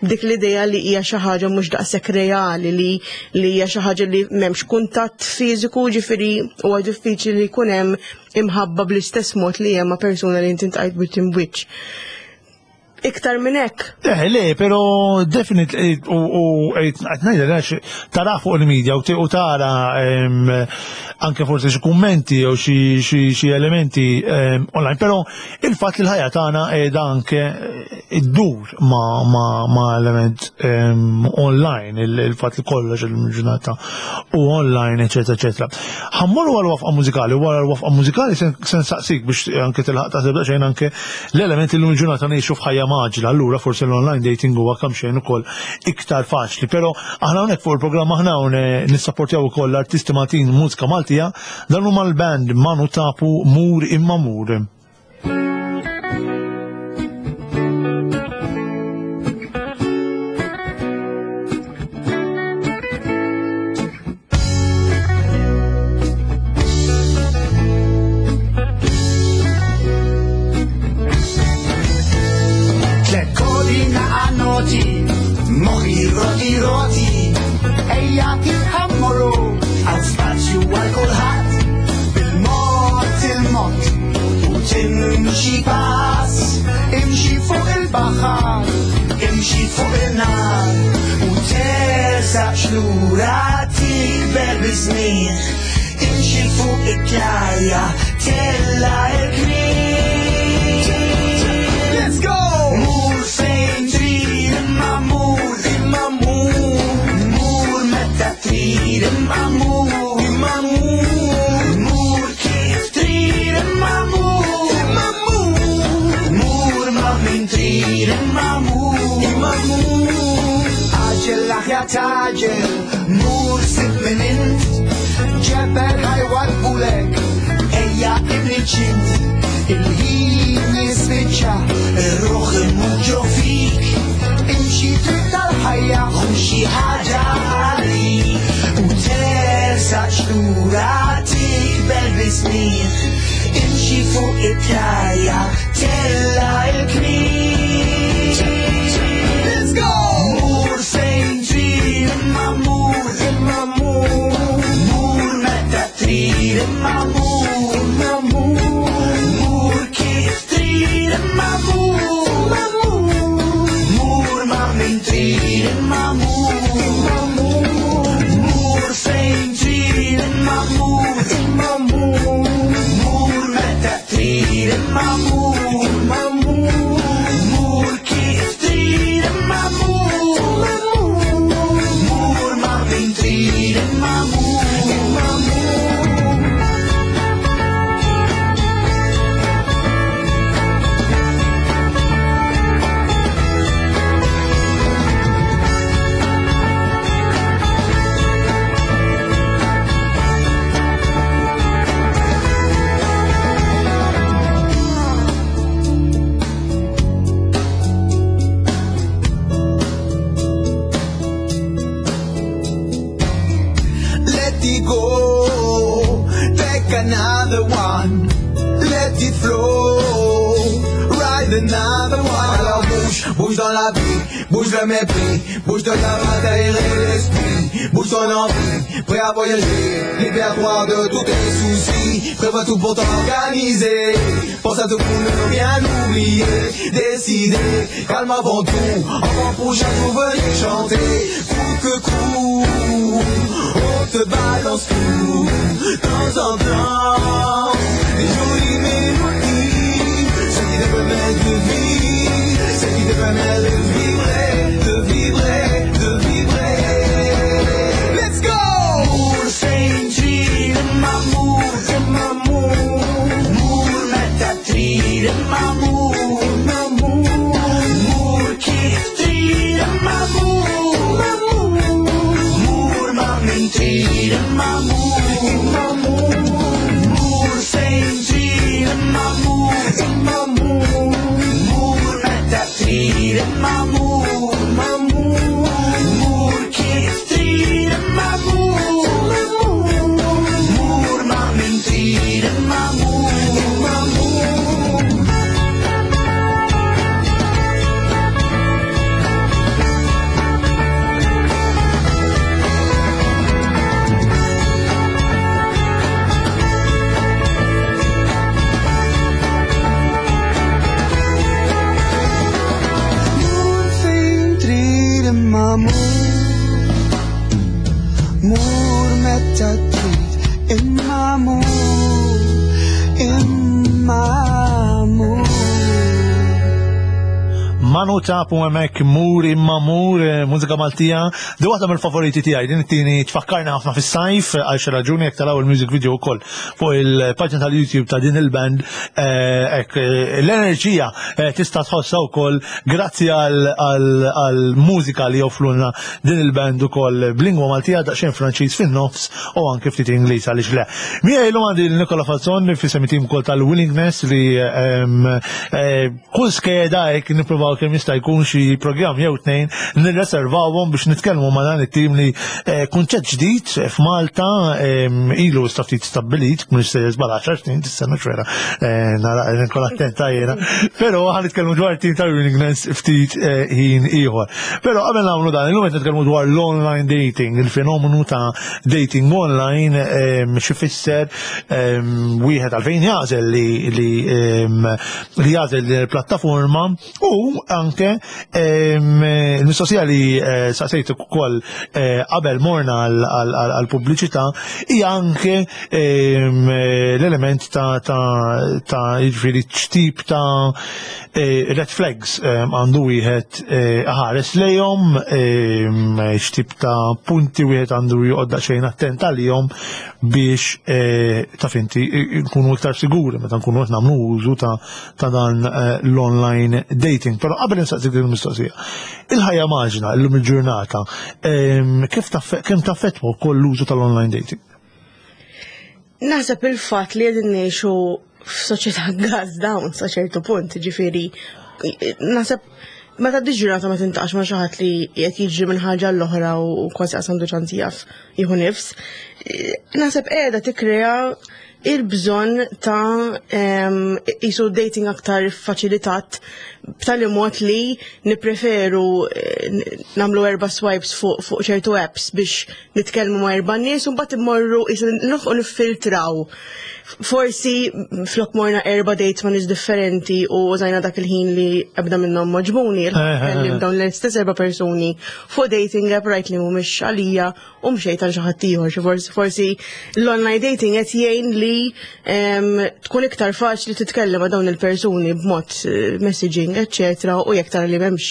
dik l-idea li hija xi ħaġa mhux daqshekk reali, li li hija xi ħaġa li m'hemmx kuntatt fiżiku, ġifieri huwa diffiċli li jkun hemm imħabba bl-istess mod li hemm ma' persuna li inti ntqajt wiċċ imb'wiċċ. Iktar minn hekk, Eh, le, pero definitely, u u qed ngħidha għax tara fuq il-media u u tara em, anke forsi xi kummenti jew xi xi xi elementi em, online, però il-fatt li l-ħajja tagħna qiegħda anke iddur ma ma ma element em, online, il- il-fatt li kollox il-ġurnata u online, eċetera, eċetera. Ħa mmorru għal waqfa mużikali, wara l-waqfa mużikali se se nsaqsik biex anke tilħaq taħseb daqsxejn anke l-element li l-ġurnata ngħixu f'ħajja mgħaġġla, allura forsi l-online dating huwa kemm xejn ukoll iktar faċli. Però aħna hawnhekk fuq il-programm aħna hawn nissapportjaw ukoll l-artisti Maltin, mużika Maltija, dan huma l-band Manu Tapu, "Mur Imma Mur". Moħħi roti roti, ejja kif ħa mmorru, hawn spazju għal kulħadd, bil-mod il-mod, u timxi pass, imxi fuq il-baħar, imxi fuq il-nar, u tersaqx lura tikber biż-żmien, imxi fuq it-tlajja, tella' il-kmien. Let's go! Mur fejn trid imma mur, Imma mur, mur meta trid imma mur, imma mur, mur kif trid imma mur, imma mur, mur ma' min trid imma mur, imma mur. Għaġġel l-aħjar tgħaġġel, mur sib min int, ġebel ħa jwaddbulek, ejja ibni ċint, il-ħin jispiċċa, ir-ruħ imut ġo fik, imxi triq tal-ħajja, ħu xi ħaġa għalik, u tersaqx lura tikber biż-żmien, imxi fuq it-tlajja, tella' il-kmien. Let's go! Mur fejn trid imma mur, Imma mur, mur meta trid imma mur, imma mur, mur kif trid imma mur, imma mur, mur ma' min trid imma mur, imma mur, mur fejn trid imma mur, imma mur, mur meta trid imma mur, imma mur, mur kif trid imma mur, imma mur, mur ma' min trid imma mur. Imma mur. Let it go, take another one. Let it flow, ride another one. Alors bouge, bouge dans la vie, bouge le mépris, bouge de la matière et l'esprit, bouge ton envie, prêt à voyager, libère-toi de tous tes soucis, prévois tout pour t'organiser, pense à tout pour ne rien oublier, décider, calme avant tout, avant pour chaque jour venir chanter, coup que coup, on te balance tout, de temps en temps, des jolies mélodies, ce qui te permet de vivre, ce qui te permet de vibrer, de vibrer, de vibrer. Let's go! Mur fejn trid imma mur, Imma mur, mur meta trid imma mur, imma mur, mur kif trid imma mur, imma mur, mur ma' min trid imma mur, imma mur, mur fejn trid imma mur, imma mur, mur meta trid imma mur, imma mur, mur kif trid imma mur, imma mur, mur ma' min trid imma mur. Imma mur. Mur fejn trid imma mur, mur meta trid imma mur, imma mur. Manu Tapu hemmhekk Mur imma mur, eh, mużika Maltija. Di waħda mill-favoriti tiegħi, din it-tieni tfakkarna ħafna fis-sajf għal xi raġuni jekk taraw il-music video wkoll fuq il-paġna tal-YouTube ta' din il-band, eh, hekk eh, l-enerġija eh, tista' tħossha wkoll grazzi għal mużika li joffrulna din il-band ukoll b'lingwa Maltija daqsxejn Franċiż fin-nofs u anke ftit Ingliż għaliex le. Miegħi llum għandi Nikola Falzon fi semitim ukoll tal-Willingness li ehm, eh, kull skeda hekk nippruvaw kemm jista' jkun xi programm jew tnejn nirreservawhom biex nitkellmu ma' dan it-tim li eh, kunċett ġdid f'Malta em, ilu sta ftit stabbilit, mhux se żball għaxar snin dis-sena xwera, eh, nara nkun attenta jiena. Però ħa nitkellmu dwar tim ta' Willingness ftit eh, ħin ieħor. Però qabel nagħmlu dan, illum qed nitkellmu dwar l-online dating, il-fenomenu ta' dating online, em, xi fisser em, wieħed għalfejn jagħżel li li em, li jagħżel din il-plattaforma u anke em, il-mistoqsija li eh, saqsejt ukoll eh, qabel morna għal-pubbliċità hija anke em, l-element ta' ta' ta' jiġifieri x'tip ta' eh, red flags em, għandu wieħed eh, ħares lejhom, em, x'tip ta' punti wieħed għandu joqgħod daqsxejn attent għalihom biex eh, taf inti nkunu iktar siguri meta nkunu qed nagħmlu użu ta' ta' dan eh, l-online dating. Però qabel insaqsik din il-mistoqsija. Il-ħajja maġna illum il-ġurnata em, kif taff- kemm taffettwa wkoll l-użu tal-online dating? Naħseb il-fatt li qegħdin ngħixu f'soċjetà gas down sa ċertu punt, ġifieri, naħseb meta ġurnata ma tintaqax ma' xi ħadd li qed jiġri minn ħaġa l-oħra u kważi qas għandu ċans jaf jieħu nifs. Naħseb qiegħda tikkrea il-bżonn ta' em, jisu dating aktar faċilitat b'tali mod li nipreferu eh, nagħmlu erba' swipes fuq fuq ċertu apps biex nitkellmu ma' erba' nies u mbagħad immorru jisu nilħqu niffiltraw. Forsi flok morna erba' dates ma' nies differenti u użajna dak il-ħin li ebda minnhom m'għoġbuni, kellim dawn l-istess erba' persuni fuq dating app, rajt li mhumiex għalija u mxejt għal xi ħadd ieħor. Xi forsi forsi l-online dating qed jgħin li em, tkun iktar faċli titkellem ma' dawn il-persuni b'mod eh, messaging, eccetera, u jekk tara li m'hemmx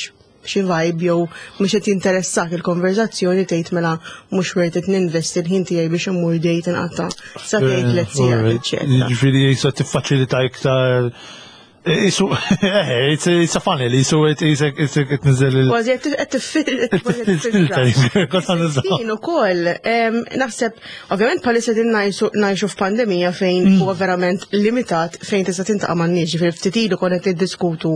xi vibe jew mhux qed jinteressak il-konverzazzjoni, tgħid mela mhux worth it ninvesti l-ħin tiegħi biex immur date inqatta' sa tgħid tliet sigħat, eċċetera. Ġifieri jisa tiffaċilita iktar. Isu, eh, it's a, it's a funnel, isu, isek, isek, tniżel il- Kważi qed Filtering, kont nużaw. Jien ukoll, em, naħseb, ovvjament bħalissa din ngħixu f'pandemija fejn Mm. huwa verament limitat fejn tista' tintaqa' man-nies, ġifieri ftit ilu konna qed niddiskutu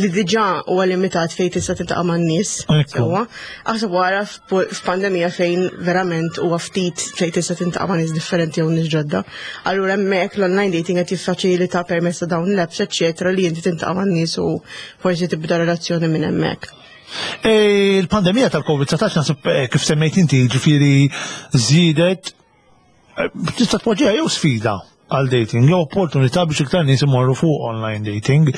li diġà huwa limitat fejn tista' tintaqa' man-nies. Ekku. Sewwa. Aħseb wara f'pu- f'pandemija fejn verament huwa ftit fejn tista' tintaqa' ma' nies differenti jew nies ġodda. Allura hemmhekk l-online dating qed jiffaċilita permezz ta' dawn l-apps, eċċetera, li inti tintaqa' man-nies u forsi tibda relazzjoni minn hemmhekk. E, Il-pandemija tal-Covid dsatax naħseb eh, kif semmejt inti, ġifieri żiedet eh, tista' tpoġġiha jew sfida għal dating, jew opportunità biex iktar nies imorru fuq online dating.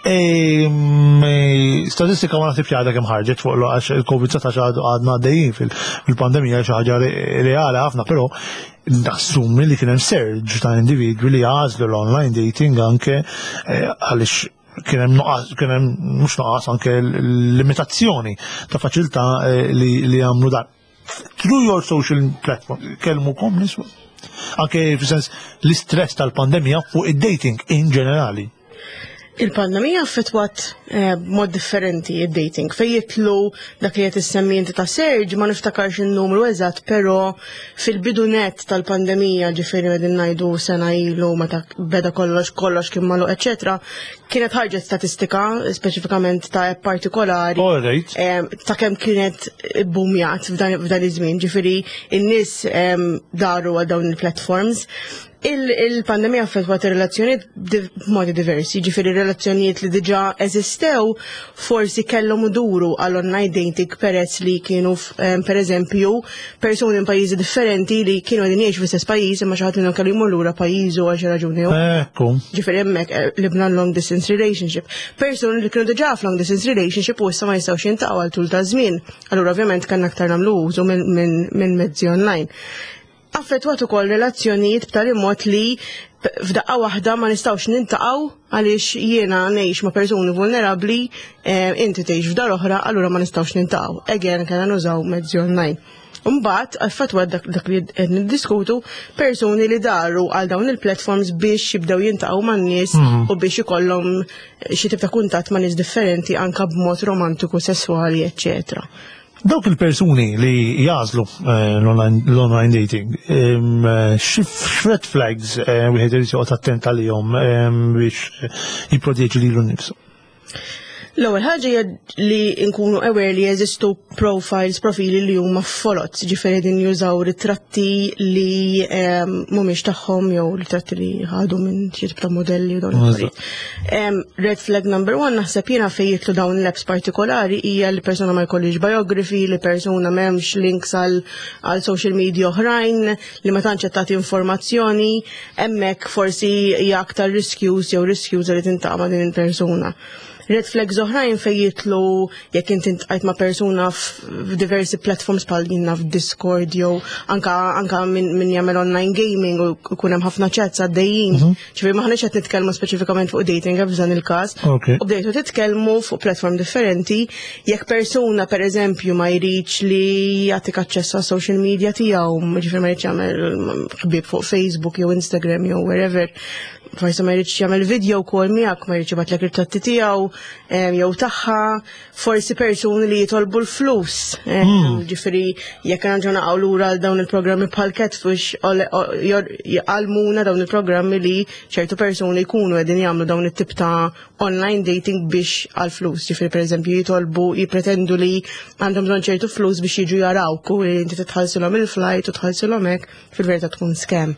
E, mm, e, Statistika ma naħsibx għadha kemm ħarġet fuq lo għax il-Covid dsatax għadu għadna għaddejjin fil- fil-pandemija, xi ħaġa re- reali ħafna, però nassumi li kien hemm surge ta' individwi li għażlu l-online dating anke eh, għaliex kien hemm nuqqas, kien hemm mhux nuqqas, anke l-limitazzjoni ta' faċilità eh, li li jagħmlu dan. Through your social platform, kellmukom nies? Anke fis-sens l-istress tal-pandemija fuq id-dating in ġenerali. Il-pandemija affettwat eh, b'mod differenti id-dating. Fej jitlu dak li qed issemmi inti ta' surge, ma niftakarx il-numru eżatt, però fil-bidu net tal-pandemija, ġifieri qegħdin ngħidu sena ilu meta beda kollox, kollox kien magħluq, eċetera, kienet ħarġet statistika speċifikament ta' app partikolari All right. em, ta' kemm kienet boomjat f'dan f'dan iż-żmien, ġifieri in-nies em, daru għal dawn il-platforms. Il- Il-pandemija affettwat ir-relazzjonijiet div- b'modi diversi, ġifieri relazzjonijiet li diġà eżistew forsi kellhom iduru għal online dating peress li kienu f- em, per eżempju persuni minn pajjiżi differenti li kienu qegħdin jgħixu fl-istess pajjiż imma xi ħadd minnhom kellu jmur lura pajjiżu għal xi raġuni jew Ekku. Ġifieri hemmhekk eh, libna long distance relationship. Persuni li kienu diġà f'long distance relationship u issa ma jistgħux jintaqgħu għal tul ta' żmien. Allura ovvjament kellna aktar nagħmlu użu minn minn minn mezzi online. Affettwat ukoll relazzjonijiet b'tali mod li p- f'daqqa waħda ma nistgħux nintaqgħu għaliex jiena ngħix ma' persuni vulnerabbli, eh, inti tgħix f'dar oħra, allura ma nistgħux nintaqgħu. Again kellna nużaw mezzi online. Mbagħad affettwat dak, dak li qed niddiskutu, persuni li daru għal dawn il-platforms biex jibdew jintaqgħu man-nies u biex ikollhom xi tip ta' kuntatt ma' nies differenti anka b'mod romantiku, sesswali, eċċetera. Dawk il-persuni li jagħżlu eh, l-online l-online dating, em, eh, xi red flags eh, wieħed irid joqgħod attent għalihom em, biex jipproteġi lilu nnifsu? L-ewwel ħaġa hija li nkunu aware li jeżistu profiles, profili li huma foloz, ġifieri din jużaw ritratti li em, mhumiex tagħhom jew ritratti li ħadu minn xi tip ta' modelli u dawn l-affarijiet. Em, Red flag number one naħseb jiena fejn jidħlu dawn l-apps partikolari hija li persuna ma jkollix biography, li persuna m'hemmx links għal għal social media oħrajn, li ma tantx qed tagħti informazzjoni, hemmhekk forsi hija aktar riskjuż jew riskjuża li tiltaqa' ma' din il-persuna. Red flags oħrajn fejn jidħlu jekk inti iltqajt ma' persuna f'diversi platforms bħal jiena f'Discord jew anka anka min, min jagħmel online gaming u jkun hemm ħafna chats għaddejjin. Ġifieri m'aħniex qed nitkellmu speċifikament fuq dating apps f'dan il-każ. Ok. U bdejtu titkellmu fuq platform differenti, jekk persuna per eżempju ma jridx li jagħtik aċċess għas social media tiegħu, ġifieri ma jridx jagħmel ħbieb fuq Facebook jew Instagram jew wherever, forsi ma jridx jagħmel video call miegħek, ma jridx jibgħatlek ritratti tiegħu em, jew tagħha, forsi persuni li jitolbu l-flus. em, Ġifieri jekk nerġgħu naqgħu lura għal dawn il-programmi bħal Catfish ole- o- jor- jgħallmuna dawn il-programmi li ċertu persuni jkunu qegħdin jagħmlu dawn it-tip ta' online dating biex għal flus. Ġifieri pereżempju jitolbu jipretendu li għandhom bżonn ċertu flus biex jiġu jarawk u li inti titħallsilhom il-flight u tħallsilhom hekk, fil-verità tkun scam.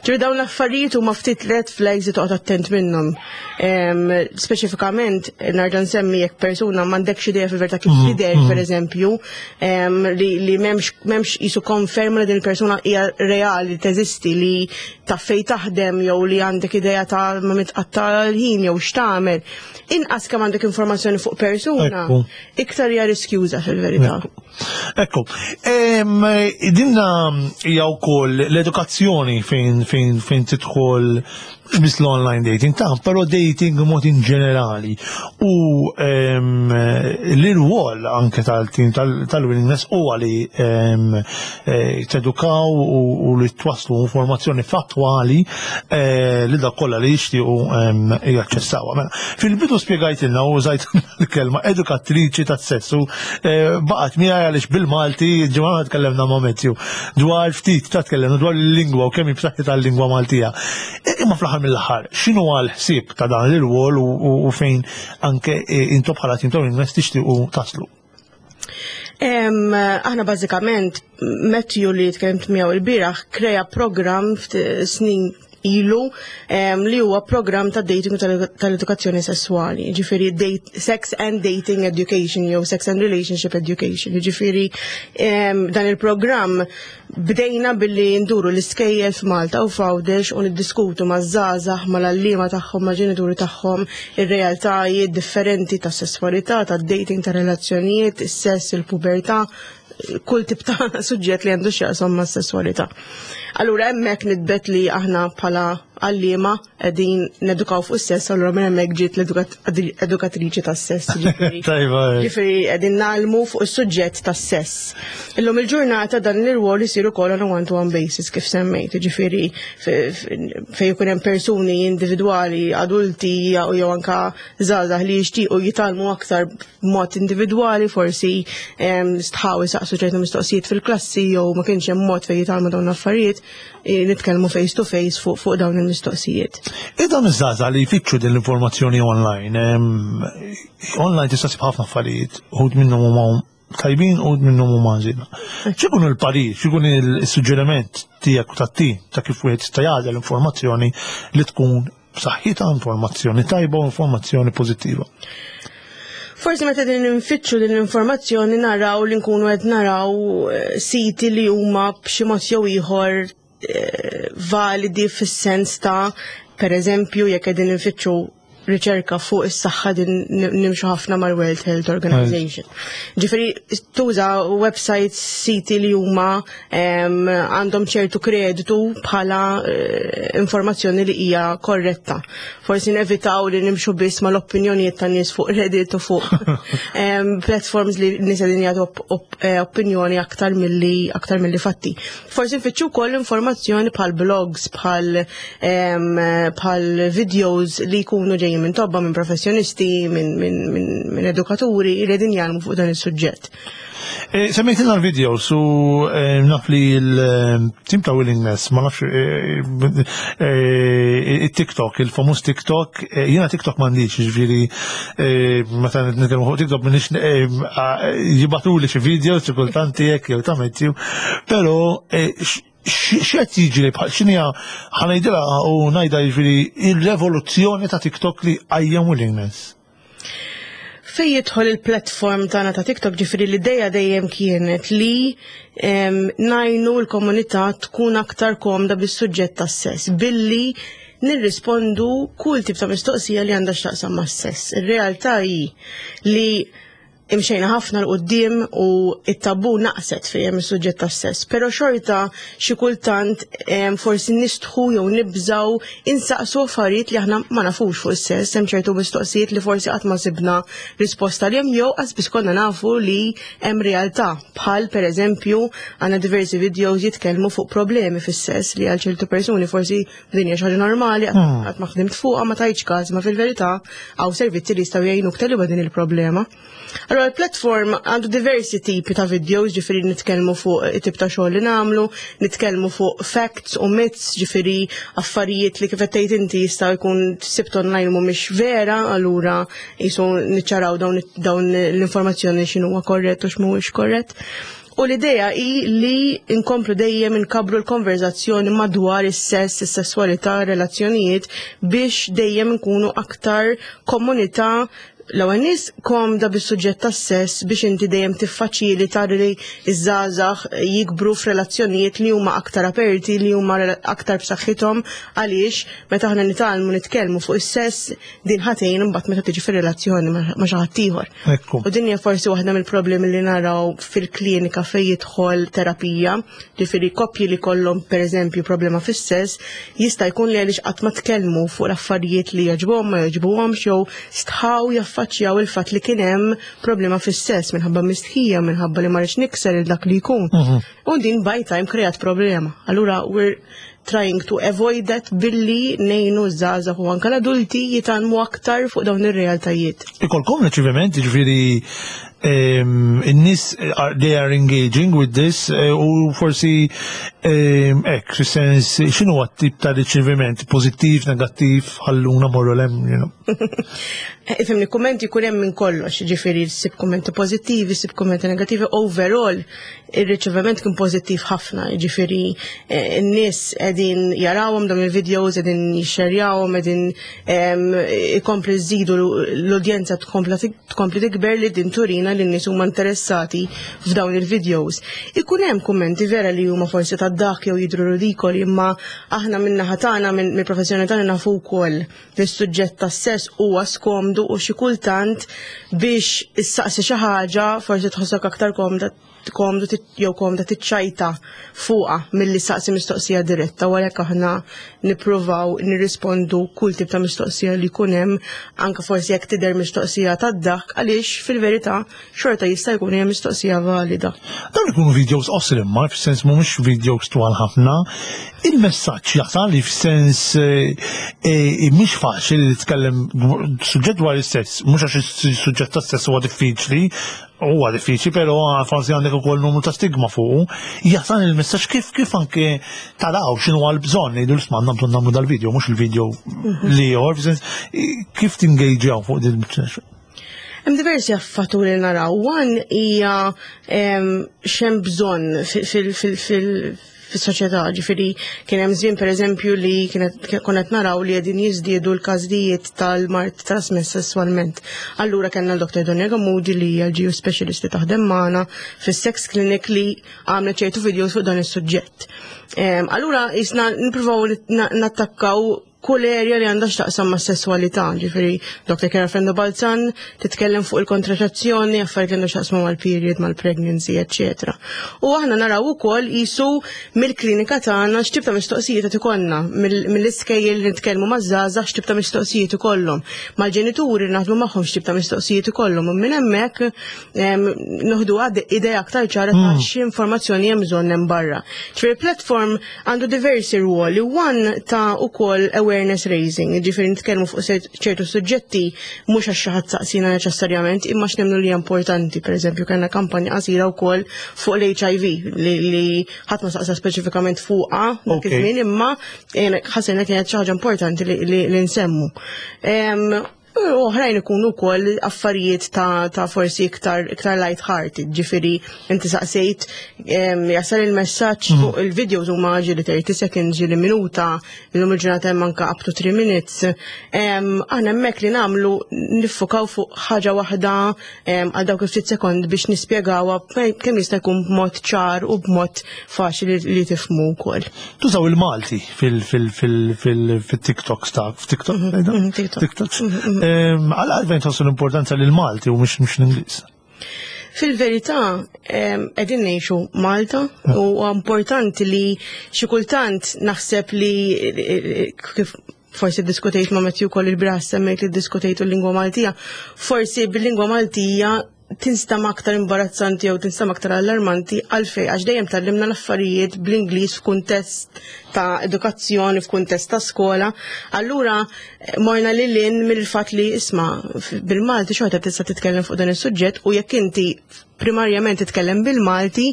Ġifieri dawn l-affarijiet huma ftit red flags li toqgħod attent minnhom. Em, Speċifikament nerġa' nsemmi jekk persuna m'għandekx idea fil-verità kif tidher pereżempju, em, li, li m'hemmx m'hemmx qisu konferma li din il-persuna hija reali teżisti li taf fejn taħdem jew li għandek idea ta' ma' min tqatta' l-ħin jew x'tagħmel. Inqas kemm għandek informazzjoni fuq persuna, Ekku. iktar hija riskjuża fil-verità. Ekku, em, dinna hija wkoll l-edukazzjoni fejn fejn fejn tidħol mhux biss l-online dating, ta' però dating mod in ġenerali. U em, l-irwol anke tal-team tal- tal-willingness huwa li em, eh, tedukaw u u li twaslu informazzjoni fattwali eh, li dak kollha li jixtiequ em, jaċċessawha. Mela, fil-bidu spjegajtilna u użajt l-kelma edukatriċi tas-sessu, eh, baqgħet miegħi għaliex bil-Malti ġimgħa tkellemna ma' Matthew dwar ftit ta' tkellemna dwar il-lingwa u kemm hi b'saħħitha l-lingwa Maltija. E, Imma fl-aħħar mill-aħħar, x'inhu għal ħsieb ta' dan l-irwol u- u u fejn anke eh, intom bħala tim ta' Willingness tixtiequ taslu? Em, aħna bażikament Matthew li tkellimt miegħu il-bieraħ krea program ftit snin ilu em, li huwa program ta' dating u tal- tal-edukazzjoni sessuali, ġifieri date, sex and dating education jew sex and relationship education. Ġifieri em, dan il-programm bdejna billi nduru l-iskejjel f'Malta u f'Għawdex u niddiskutu ma' żgħażagħ, mal-għalliema tagħhom, ma' ġenituri tagħhom ir-realtajiet differenti ta' sessualità, ta' dating, ta' relazzjonijiet, is-sess, il-pubertà, kull tip ta' suġġett li għandu x'jaqsam ma' sessualità. Allura hemmhekk nidbet li aħna bħala għalliema qegħdin nedukaw fuq is-sess, allura minn hemmhekk ġiet l-edukatriċi tas-sess. ġifieri. Tajba. Ġifieri qegħdin ngħallmu fuq is-suġġett tas-sess. Illum il-ġurnata dan l-irwol isir ukoll on a one-to-one basis kif semmejt, ġifieri fejn ikun hemm persuni individwali, adulti jew jew anka żgħażagħ li jixtiequ jitgħallmu aktar b'mod individwali, forsi em, stħaw isaqsu ċertu mistoqsijiet fil-klassi jew ma kienx hemm mod fejn jitgħallmu dawn l-affarijiet, eh, nitkellmu face to face fuq fuq dawn il-mistoqsijiet. Id dawn iż-żgħażagħ li jfittxu din l-informazzjoni online, em, online tista' ssib ħafna affarijiet, uħud minnhom huma tajbin u minnhom huma ħżiena. X'ikun il-parir, x'ikun il-suġġeriment tiegħek u tat-tim ta' kif wieħed jista' jagħżel informazzjoni li tkun b'saħħitha, informazzjoni tajba u informazzjoni pożittiva? Forsi meta din nfittxu din l-informazzjoni naraw li nkunu qed naraw eh, siti li huma b'xi mod jew ieħor eh, validi fis-sens ta' per eżempju jekk qegħdin nfittxu riċerka fuq is-saħħa din nimxu ħafna mal-World Health Organization. Ġifieri tuża websites, siti li huma em, għandhom ċertu kreditu bħala eh, informazzjoni li hija korretta. Forsi nevitaw li nimxu biss mal-opinjonijiet tan nies fuq Reddit u fuq em, platforms li nies qegħdin jagħtu op op eh, opinjoni aktar milli aktar milli fatti. Forsi nfittxu wkoll informazzjoni bħal blogs, bħal em, bħal videos li jkunu ġejjin ġejjin minn tobba, minn professjonisti, minn min, min, min edukaturi li qegħdin jgħallmu fuq dan is-suġġett. Eh, Semmejtina l-video, su eh, naf li l-team ta' Willingness, ma nafx eh, eh, il-TikTok, il-famuż TikTok, eh, jiena TikTok m'għandix, ġifieri, meta nitkellmu fuq TikTok minix jibagħtuli xi video, xi kultanti hekk jew ta' Matthew, però eh, x- x'qed jiġri bħal x'inhija ħa ngħidilha u ngħidha jiġifieri il-revoluzzjoni ta' TikTok li għajjem Willingness. Fej jidħol il-platform tagħna ta' TikTok, ġifieri l-ideja dejjem kienet li em, ngħinu l-komunità tkun aktar komda bis-suġġett tas-sess billi nirrispondu kull tip ta' mistoqsija li għandha x'taqsam mas-sess. Ir-realtà hi li imxejna ħafna 'l quddiem u it-tabu naqset fejn is-suġġett tas-sess, però xorta xi kultant em, forsi nistħu jew nibżaw insaqsu affarijiet li aħna ma nafux fuq is-sess, hemm ċertu mistoqsijiet li forsi qatt ma sibna risposta li hemm jew qas biss konna nafu li hemm realtà bħal pereżempju għandna diversi videos jitkellmu fuq problemi fis-sess li għal ċertu persuni forsi din hija xi ħaġa normali qatt ma ħdimt fuqha ma tajtx każ ma fil-verità hawn servizzi li jistgħu jgħinuk tegħleb din il-problema. Allora il-platform għandu diversi tipi ta' videos, ġifieri nitkellmu fuq it-tip ta' xogħol li nagħmlu, nitkellmu fuq facts u myths, ġifieri affarijiet li kif qed tgħid inti jista' jkun sibt online mhumiex vera, allura jisu niċċaraw dawn dawn l-informazzjoni x'inhuwa korrett u x'mhuwiex korrett. U l-idea hi li nkomplu dejjem inkabru l-konverzazzjoni madwar is-sess, is-sesswalità, relazzjonijiet biex dejjem nkunu aktar komunità l-ewwel nies komda bis-suġġett tas-sess biex inti dejjem tiffaċilita li iż-żgħażagħ jikbru f'relazzjonijiet li huma aktar aperti, li huma aktar b'saħħithom għaliex meta aħna nitgħallmu nitkellmu fuq is-sess din ħa tgħin imbagħad meta tiġi fir-relazzjoni ma' xi ħadd ieħor. Ekku. U din hija forsi waħda mill-problemi li naraw fil-klinika fejn jidħol terapija, ġifieri koppji li kollhom pereżempju problema fis-sess, jista' jkun li għaliex qatt ma tkellmu fuq l-affarijiet li jogħġbuhom ma jogħġbuhomx jew stħaw jaffaċċjaw il-fatt li kien hemm problema fis-sess minħabba mistħija, minħabba li ma rridx nikser il dak li jkun. U din by time kreat problema. Allura we're trying to avoid that billi ngħinu ż-żgħażagħ u anke l-adulti jitgħallmu aktar fuq dawn ir-realtajiet. Ikolkom riċeviment, ġifieri in-nies are- they are engaging with this eh, u forsi em, hekk, fis-sens x'inhu tip ta' riċeviment, pożittiv, negattiv, ħalluna morru 'l hemm, you know. Ifhimni, kummenti jkun hemm minn kollox, ġifieri ssib kummenti pożittivi, ssib kummenti negattivi, overall ir-riċeviment kien pożittiv ħafna, ġifieri eh, n-nies qegħdin jarawhom dawn il-videos, qegħdin jixxerjawhom, qegħdin em, ikompli żidu l-udjenza tkompla tkompli tikber li din turina li n-nies huma interessati f'dawn il-videos. Ikun hemm kummenti vera li huma forsi ta' dak jew jidru ridikoli, imma aħna min-naħa tagħna minn mill-professjoni tagħna nafu wkoll li s-suġġett tas-sess huwa skomdu u xi kultant biex issaqsi xi ħaġa forsi tħossok aktar komda komdu tit- jew komda tiċċajta fuqha milli saqsi mistoqsija diretta u għalhekk aħna nippruvaw nirrispondu kull tip ta' mistoqsija li jkun hemm anke forsi jekk tidher mistoqsija tad-daħk għaliex fil-verità xorta jista' jkun hija mistoqsija valida. Dawn ikunu videos qosra imma, fis-sens mhumiex videos twal ħafna. Il-messaġġ jasal li fis-sens eh, eh, mhix faċli li titkellem suġġett dwar is-sess, mhux għax is-suġġett tas-sess huwa diffiċli, huwa diffiċli, però forsi għandek ukoll numru ta' stigma fuq. Jasal il-messaġġ kif kif anke taraw x'inhu għal bżonn ngħidu l-isma' għandna bżonn nagħmlu dal-video, mhux il-video li ieħor, fis-sens kif tingaġġjaw fuq din Hemm diversi fatturi li naraw. One hija em, x'hemm bżonn fil- fil- fil- fis-soċjetà, ġifieri kien hemm żmien pereżempju li kienet konna qed naraw li qegħdin jiżdiedu l-każijiet tal-mard trasmess sesswalment. Allura kellna l-Dr. Donia Gamudi li hija l-G U specialist li taħdem magħna fis-sex clinic li għamlet ċertu videos fuq dan is-suġġett. Em, Allura jisna nippruvaw na- nattakkaw kull area li għandha x'taqsam ma' sessualità, ġifieri Dr. Kara Frendo Balzan titkellem fuq il-kontraċezzjoni, affarijiet li għandha x'taqsam mal-period, mal-pregnancy, eccetera. U aħna naraw ukoll jisu mill-klinika tagħna x'tip ta' mistoqsijiet qed ikollna, mill- mill-iskejjel li nitkellmu maż-żgħażagħ x'tip ta' mistoqsijiet ikollhom, mal-ġenituri li naħdmu magħhom x'tip ta' mistoqsijiet ikollhom, u minn hemmhekk em, noħdu għad idea aktar ċara ta' x'informazzjoni hemm bżonn hemm barra. Ġifieri platform għandu diversi ruoli, one ta' ukoll awareness awareness raising, ġifieri nitkellmu fuq ċertu suġġetti mhux għax xi ħadd saqsina neċessarjament, imma x'nemmnu li hija importanti. Pereżempju, kellna kampanja qasira wkoll fuq l-H I V li, li ħadd ma saqsa speċifikament fuqha dak Ok. iż-żmien, imma eh, ħassejna kienet xi ħaġa importanti li, li, li nsemmu. Em, U oħrajn ikunu wkoll affarijiet ta', ta' forsi iktar, iktar light-hearted, ġifieri inti saqsejt em, jasal il-messaġġ fuq il-videos huma ġieli thirty seconds, ġieli minuta, illum il-ġurnata hemm anka up to three minutes. Em, Aħna hemmhekk li nagħmlu niffukaw fuq ħaġa waħda em, għal dawk il-ftit sekond biex nispjegawha kemm jista' jkun b'mod ċar u b'mod faċli li tifhmu wkoll. Tużaw il-Malti fil-TikToks ta' TikTok? mhm, TikTok. TikToks. Em, Għal għalfejn tħossu l-importanza l-Malti u mhux mhux l-Ingliż? Fil-verità, em, qegħdin ngħixu Malta u importanti li xi kultant naħseb li eh, kif forsi diskutejt ma' Matthew koll il-bieraħ, semmejt li diskutejtu l-lingwa Maltija, forsi bil-lingwa Maltija tinstama aktar imbarazzanti jew tinstama aktar allarmanti. Għalfej? Għax dejjem tgħallimna l-affarijiet bl-Ingliż f'kuntest ta' edukazzjoni, f'kuntest ta' skola. Allura eh, morna lil hinn mill-fatt li isma' f- bil-Malti xorta tista' titkellem fuq dan is-suġġett u jekk inti primarjament titkellem bil-Malti,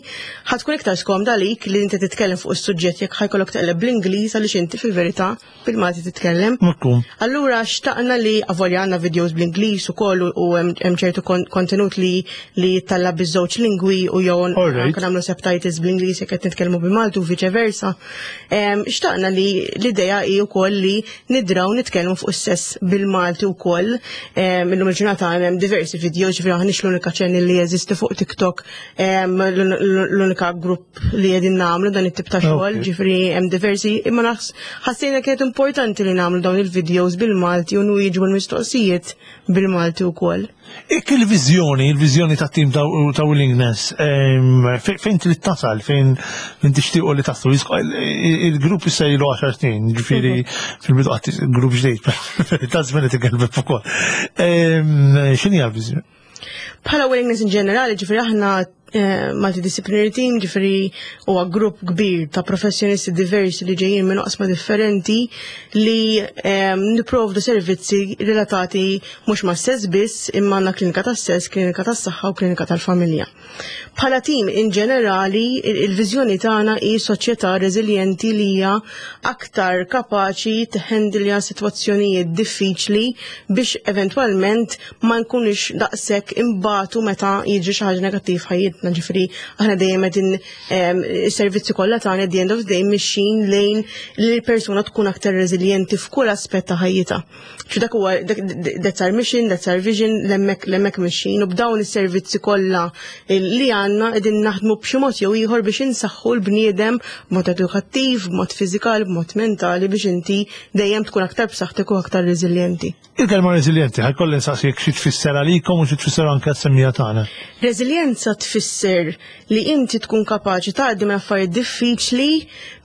ħa tkun iktar skomda għalik li inti titkellem fuq is-suġġett jekk ħa jkollok teqleb bl-Ingliż, għaliex inti fil-verità bil-Malti titkellem. Mhux. Allura xtaqna li avolja għandna videos bl-Ingliż ukoll u hemm hemm ċertu kon- kontenut li li jittella' biż-żewġ lingwi u jew Alright. anke nagħmlu subtitles bl-Ingliż jekk qed nitkellmu bil-Malti u viċe versa. Em, Xtaqna li l-idea hi wkoll li nidraw nitkellmu fuq is-sess bil-Malti wkoll. Em, Illum il-ġurnata hemm diversi videos, ġifieri aħniex l-unika channel li jeżisti fuq TikTok, em, l-unika grupp li qegħdin nagħmlu dan it-tip ta' xogħol, Ok. ġifieri hemm diversi, imma naħs ħassejna kienet importanti li nagħmlu dawn il-videos bil-Malti u nwieġbu l-mistoqsijiet bil-Malti wkoll. Ik il-vizjoni, il-vizjoni ta' tim ta' ta' Willingness, em, fe- fejn trid tasal, fejn fejn tixtiequ li taslu? Jisqo- il- Il-grupp issa ilu għaxar snin, ġifieri fil-bidu qatt grupp ġdid, ta' żmien qed ikelbeb ukoll. Em, X'inhi l-viżjoni? Bħala Willingness in ġenerali, ġifieri aħna eh, multidisciplinary team, ġifieri huwa grupp kbir ta' professjonisti diversi li ġejjin minn oqsma differenti li eh, niprovdu servizzi relatati mhux ma' sess biss, imma għandna klinika tas sess, klinika tas saħħa u klinika tal-familja. Bħala team in ġenerali, il- il-viżjoni tagħna hi soċjetà reżiljenti li hija aktar kapaċi tħendilja sitwazzjonijiet diffiċli biex eventwalment ma nkunux daqshekk imbatu meta jiġri xi ħaġa negattiv ħajjitna. Ġifieri aħna dejjem qegħdin em, is-servizzi kollha tagħna at the end of the day mixjin lejn li l-persuna tkun aktar reżiljenti f'kull aspett ta' ħajjitha. Ċu dak huwa dak- that's our mission, that's our vision, hemmhekk hemmhekk mixjin u b'dawn is-servizzi kollha li għandna qegħdin naħdmu b'xi mod jew ieħor biex insaħħu l-bniedem b'mod edukattiv, b'mod fiżikali, b'mod mentali biex inti dejjem tkun aktar b'saħħtek u aktar reżiljenti. Il-kelma reżiljenti, ħa jkolli nsaqsik xi tfisser għalikom u xi tfisser anke s-semmiegħa tagħna. Reżiljenza tfisser li inti tkun kapaċi tgħaddi minn affarijiet diffiċli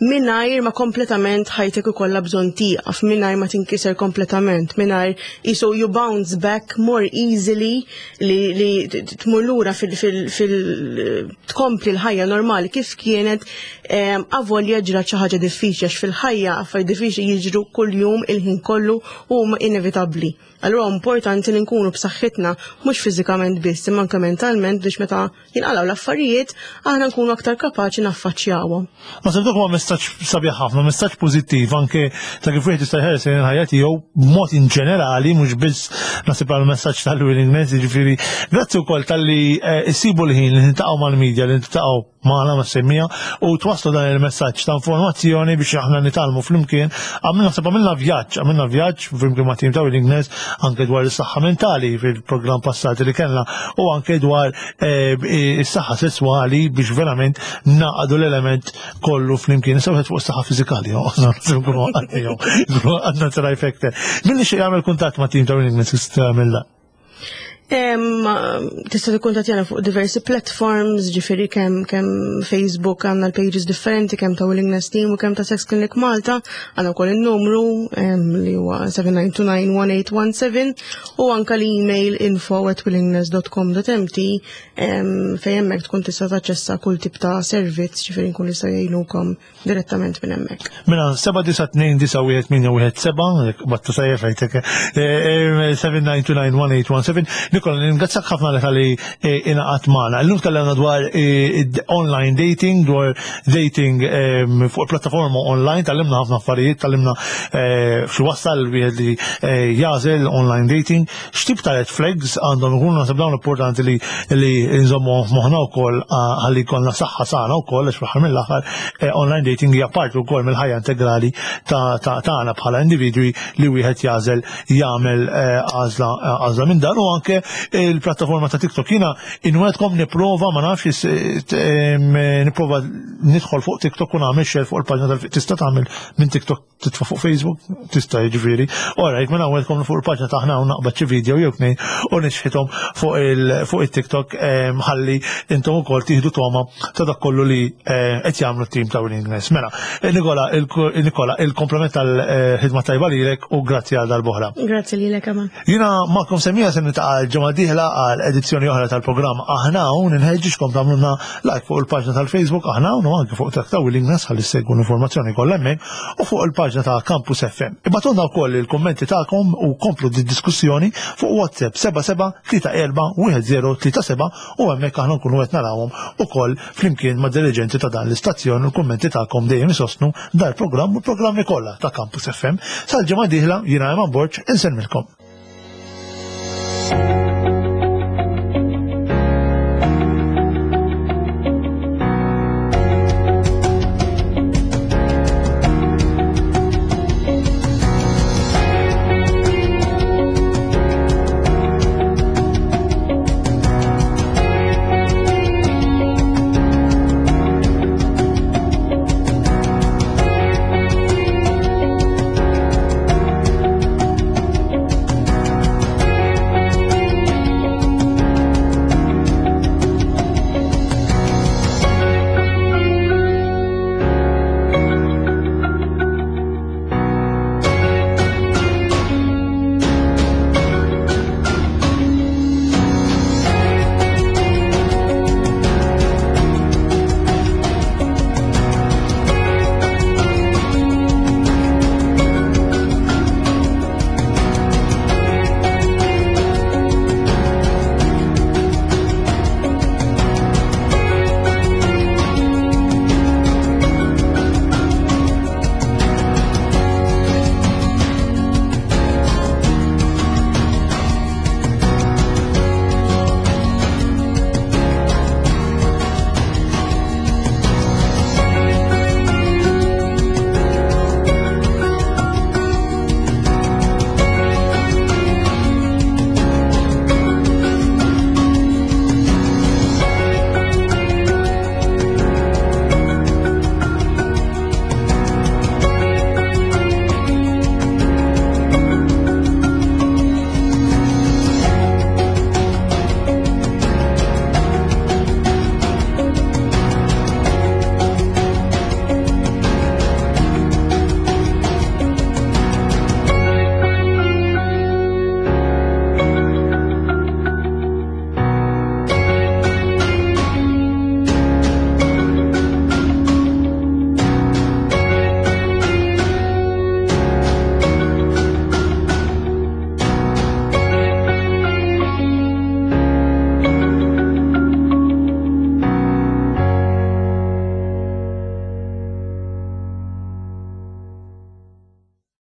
mingħajr ma kompletament ħajtek ikollha bżonn tieqaf, mingħajr ma tinkiser kompletament, mingħajr iso you bounce back more easily li, li tmur lura fil, fil, fil tkompli l-ħajja normali kif kienet em, avolja ġrat xi ħaġa diffiċli, għax fil-ħajja affarijiet diffiċli jiġru kuljum, il-ħin kollu, u huma inevitabbli. Allura importanti li nkunu b'saħħitna mhux fiżikament biss imma anke mentalment biex meta jinqalgħu l-affarijiet aħna nkunu aktar kapaċi naffaċċjawhom. Naħseb dak huwa messaġġ sabiħ ħafna, messaġġ pożittiv anke ta' kif wieħed jista' jħares lejn il-ħajja tiegħu b'mod in ġenerali, mhux biss naħseb għal messaġġ tal-Willingness, jiġifieri grazzi wkoll talli eh, issibu l-ħin li niltaqgħu mal-medja, li niltaqgħu magħna mas-semmiegħa u twaslu dan il-messaġġ ta' informazzjoni biex aħna nitgħallmu flimkien. Għamilna naħseb għamilna vjaġġ, għamilna vjaġġ flimkien ma' tim ta' Willingness anke dwar is-saħħa mentali fil-programm passati li kellna u anke dwar eh, is-saħħa sesswali biex verament naqdu l-element kollu flimkien. Issa wieħed fuq is-saħħa fiżikali, għandna trifecta. Min jixtieq jagħmel kuntatt ma' tim ta' Willingness tista' tagħmel dan? Em, Tista' tikkuntattjana fuq diversi platforms, ġifieri kemm kemm Facebook għandna l-pages differenti, kemm ta' Willingness Team u kemm ta' Sex Clinic Malta, għandna wkoll in-numru em, li huwa seven nine two nine one eight one seven u anka l-email info at willingness dot com dot M T em, fejn hemmhekk tkun tista' taċċessa kull tip ta' servizz, ġifieri nkun nistgħu jgħinukom direttament minn hemmhekk. Mela, seba' disa' tnejn disa' wieħed tmienja wieħed seba', battu sajja fejtek, seven nine two nine one eight one seven. Nikola, ningrazzjak ħafna li talli ingħaqadt magħna. Illum tkellimna dwar eh, online dating, dwar dating em, fuq plattaforma online, tgħallimna ħafna affarijiet, tgħallimna eh, xi wassal wieħed li eh, jagħżel online dating, x'tip ta' red flags għandhom ikunu. Naħseb dawn importanti li li nżommu moħħna wkoll ah, ħalli jkollna saħħa sana wkoll, għax fl-aħħar mill-aħħar eh, online dating hija parti wkoll mill-ħajja integrali ta' ta' tagħna bħala individwi li wieħed jagħżel jagħmel eh, għażla għażla minn dan u anke il-plattaforma ta' TikTok. Jiena inwegħedkom nipprova, ma nafx is- em, nipprova nidħol fuq TikTok u nagħmel share fuq il-paġna tal. Tista' tagħmel minn TikTok titfa' fuq Facebook, tista' jiġifieri. Alright, mela nwegħedkom fuq il-paġna tagħna u naqbad xi video jew tnejn u nixħithom fuq il fuq it-TikTok em, ħalli intom ukoll tieħdu toma ta' dak kollu li eh, qed jagħmlu t-tim ta' Willingness. Mela, eh, Nikola, il- Nikola, il-komplement tal-ħidma tajba lilek u grazzi għal darb'oħra. Grazzi lilek, Eman. Jiena magħkom semmiegħa se niltaqa' l-ġimgħa dieħla għal edizzjoni oħra tal-programm Aħna Hawn. Inħeġġiġkom tagħmlulna like fuq il-paġna tal-Facebook Aħna Hawn u anke fuq ta' Willingness ħalli ssegwu l-informazzjoni kollha hemmhekk u fuq il-paġna ta' Campus F M. Ibagħtulna wkoll il-kummenti tagħkom u komplu di diskussjoni fuq WhatsApp seba' seba' tlieta erba' wieħed żero tlieta seba' u hemmhekk aħna nkunu qed narawhom ukoll flimkien ma' dirigenti ta' dan l-istazzjon u l-kummenti tagħkom dejjem isostnu dal-programm u l-programmi kollha ta' Campus F M. Sal-ġimgħa dieħla, jiena Eman Borg, insellmilkom.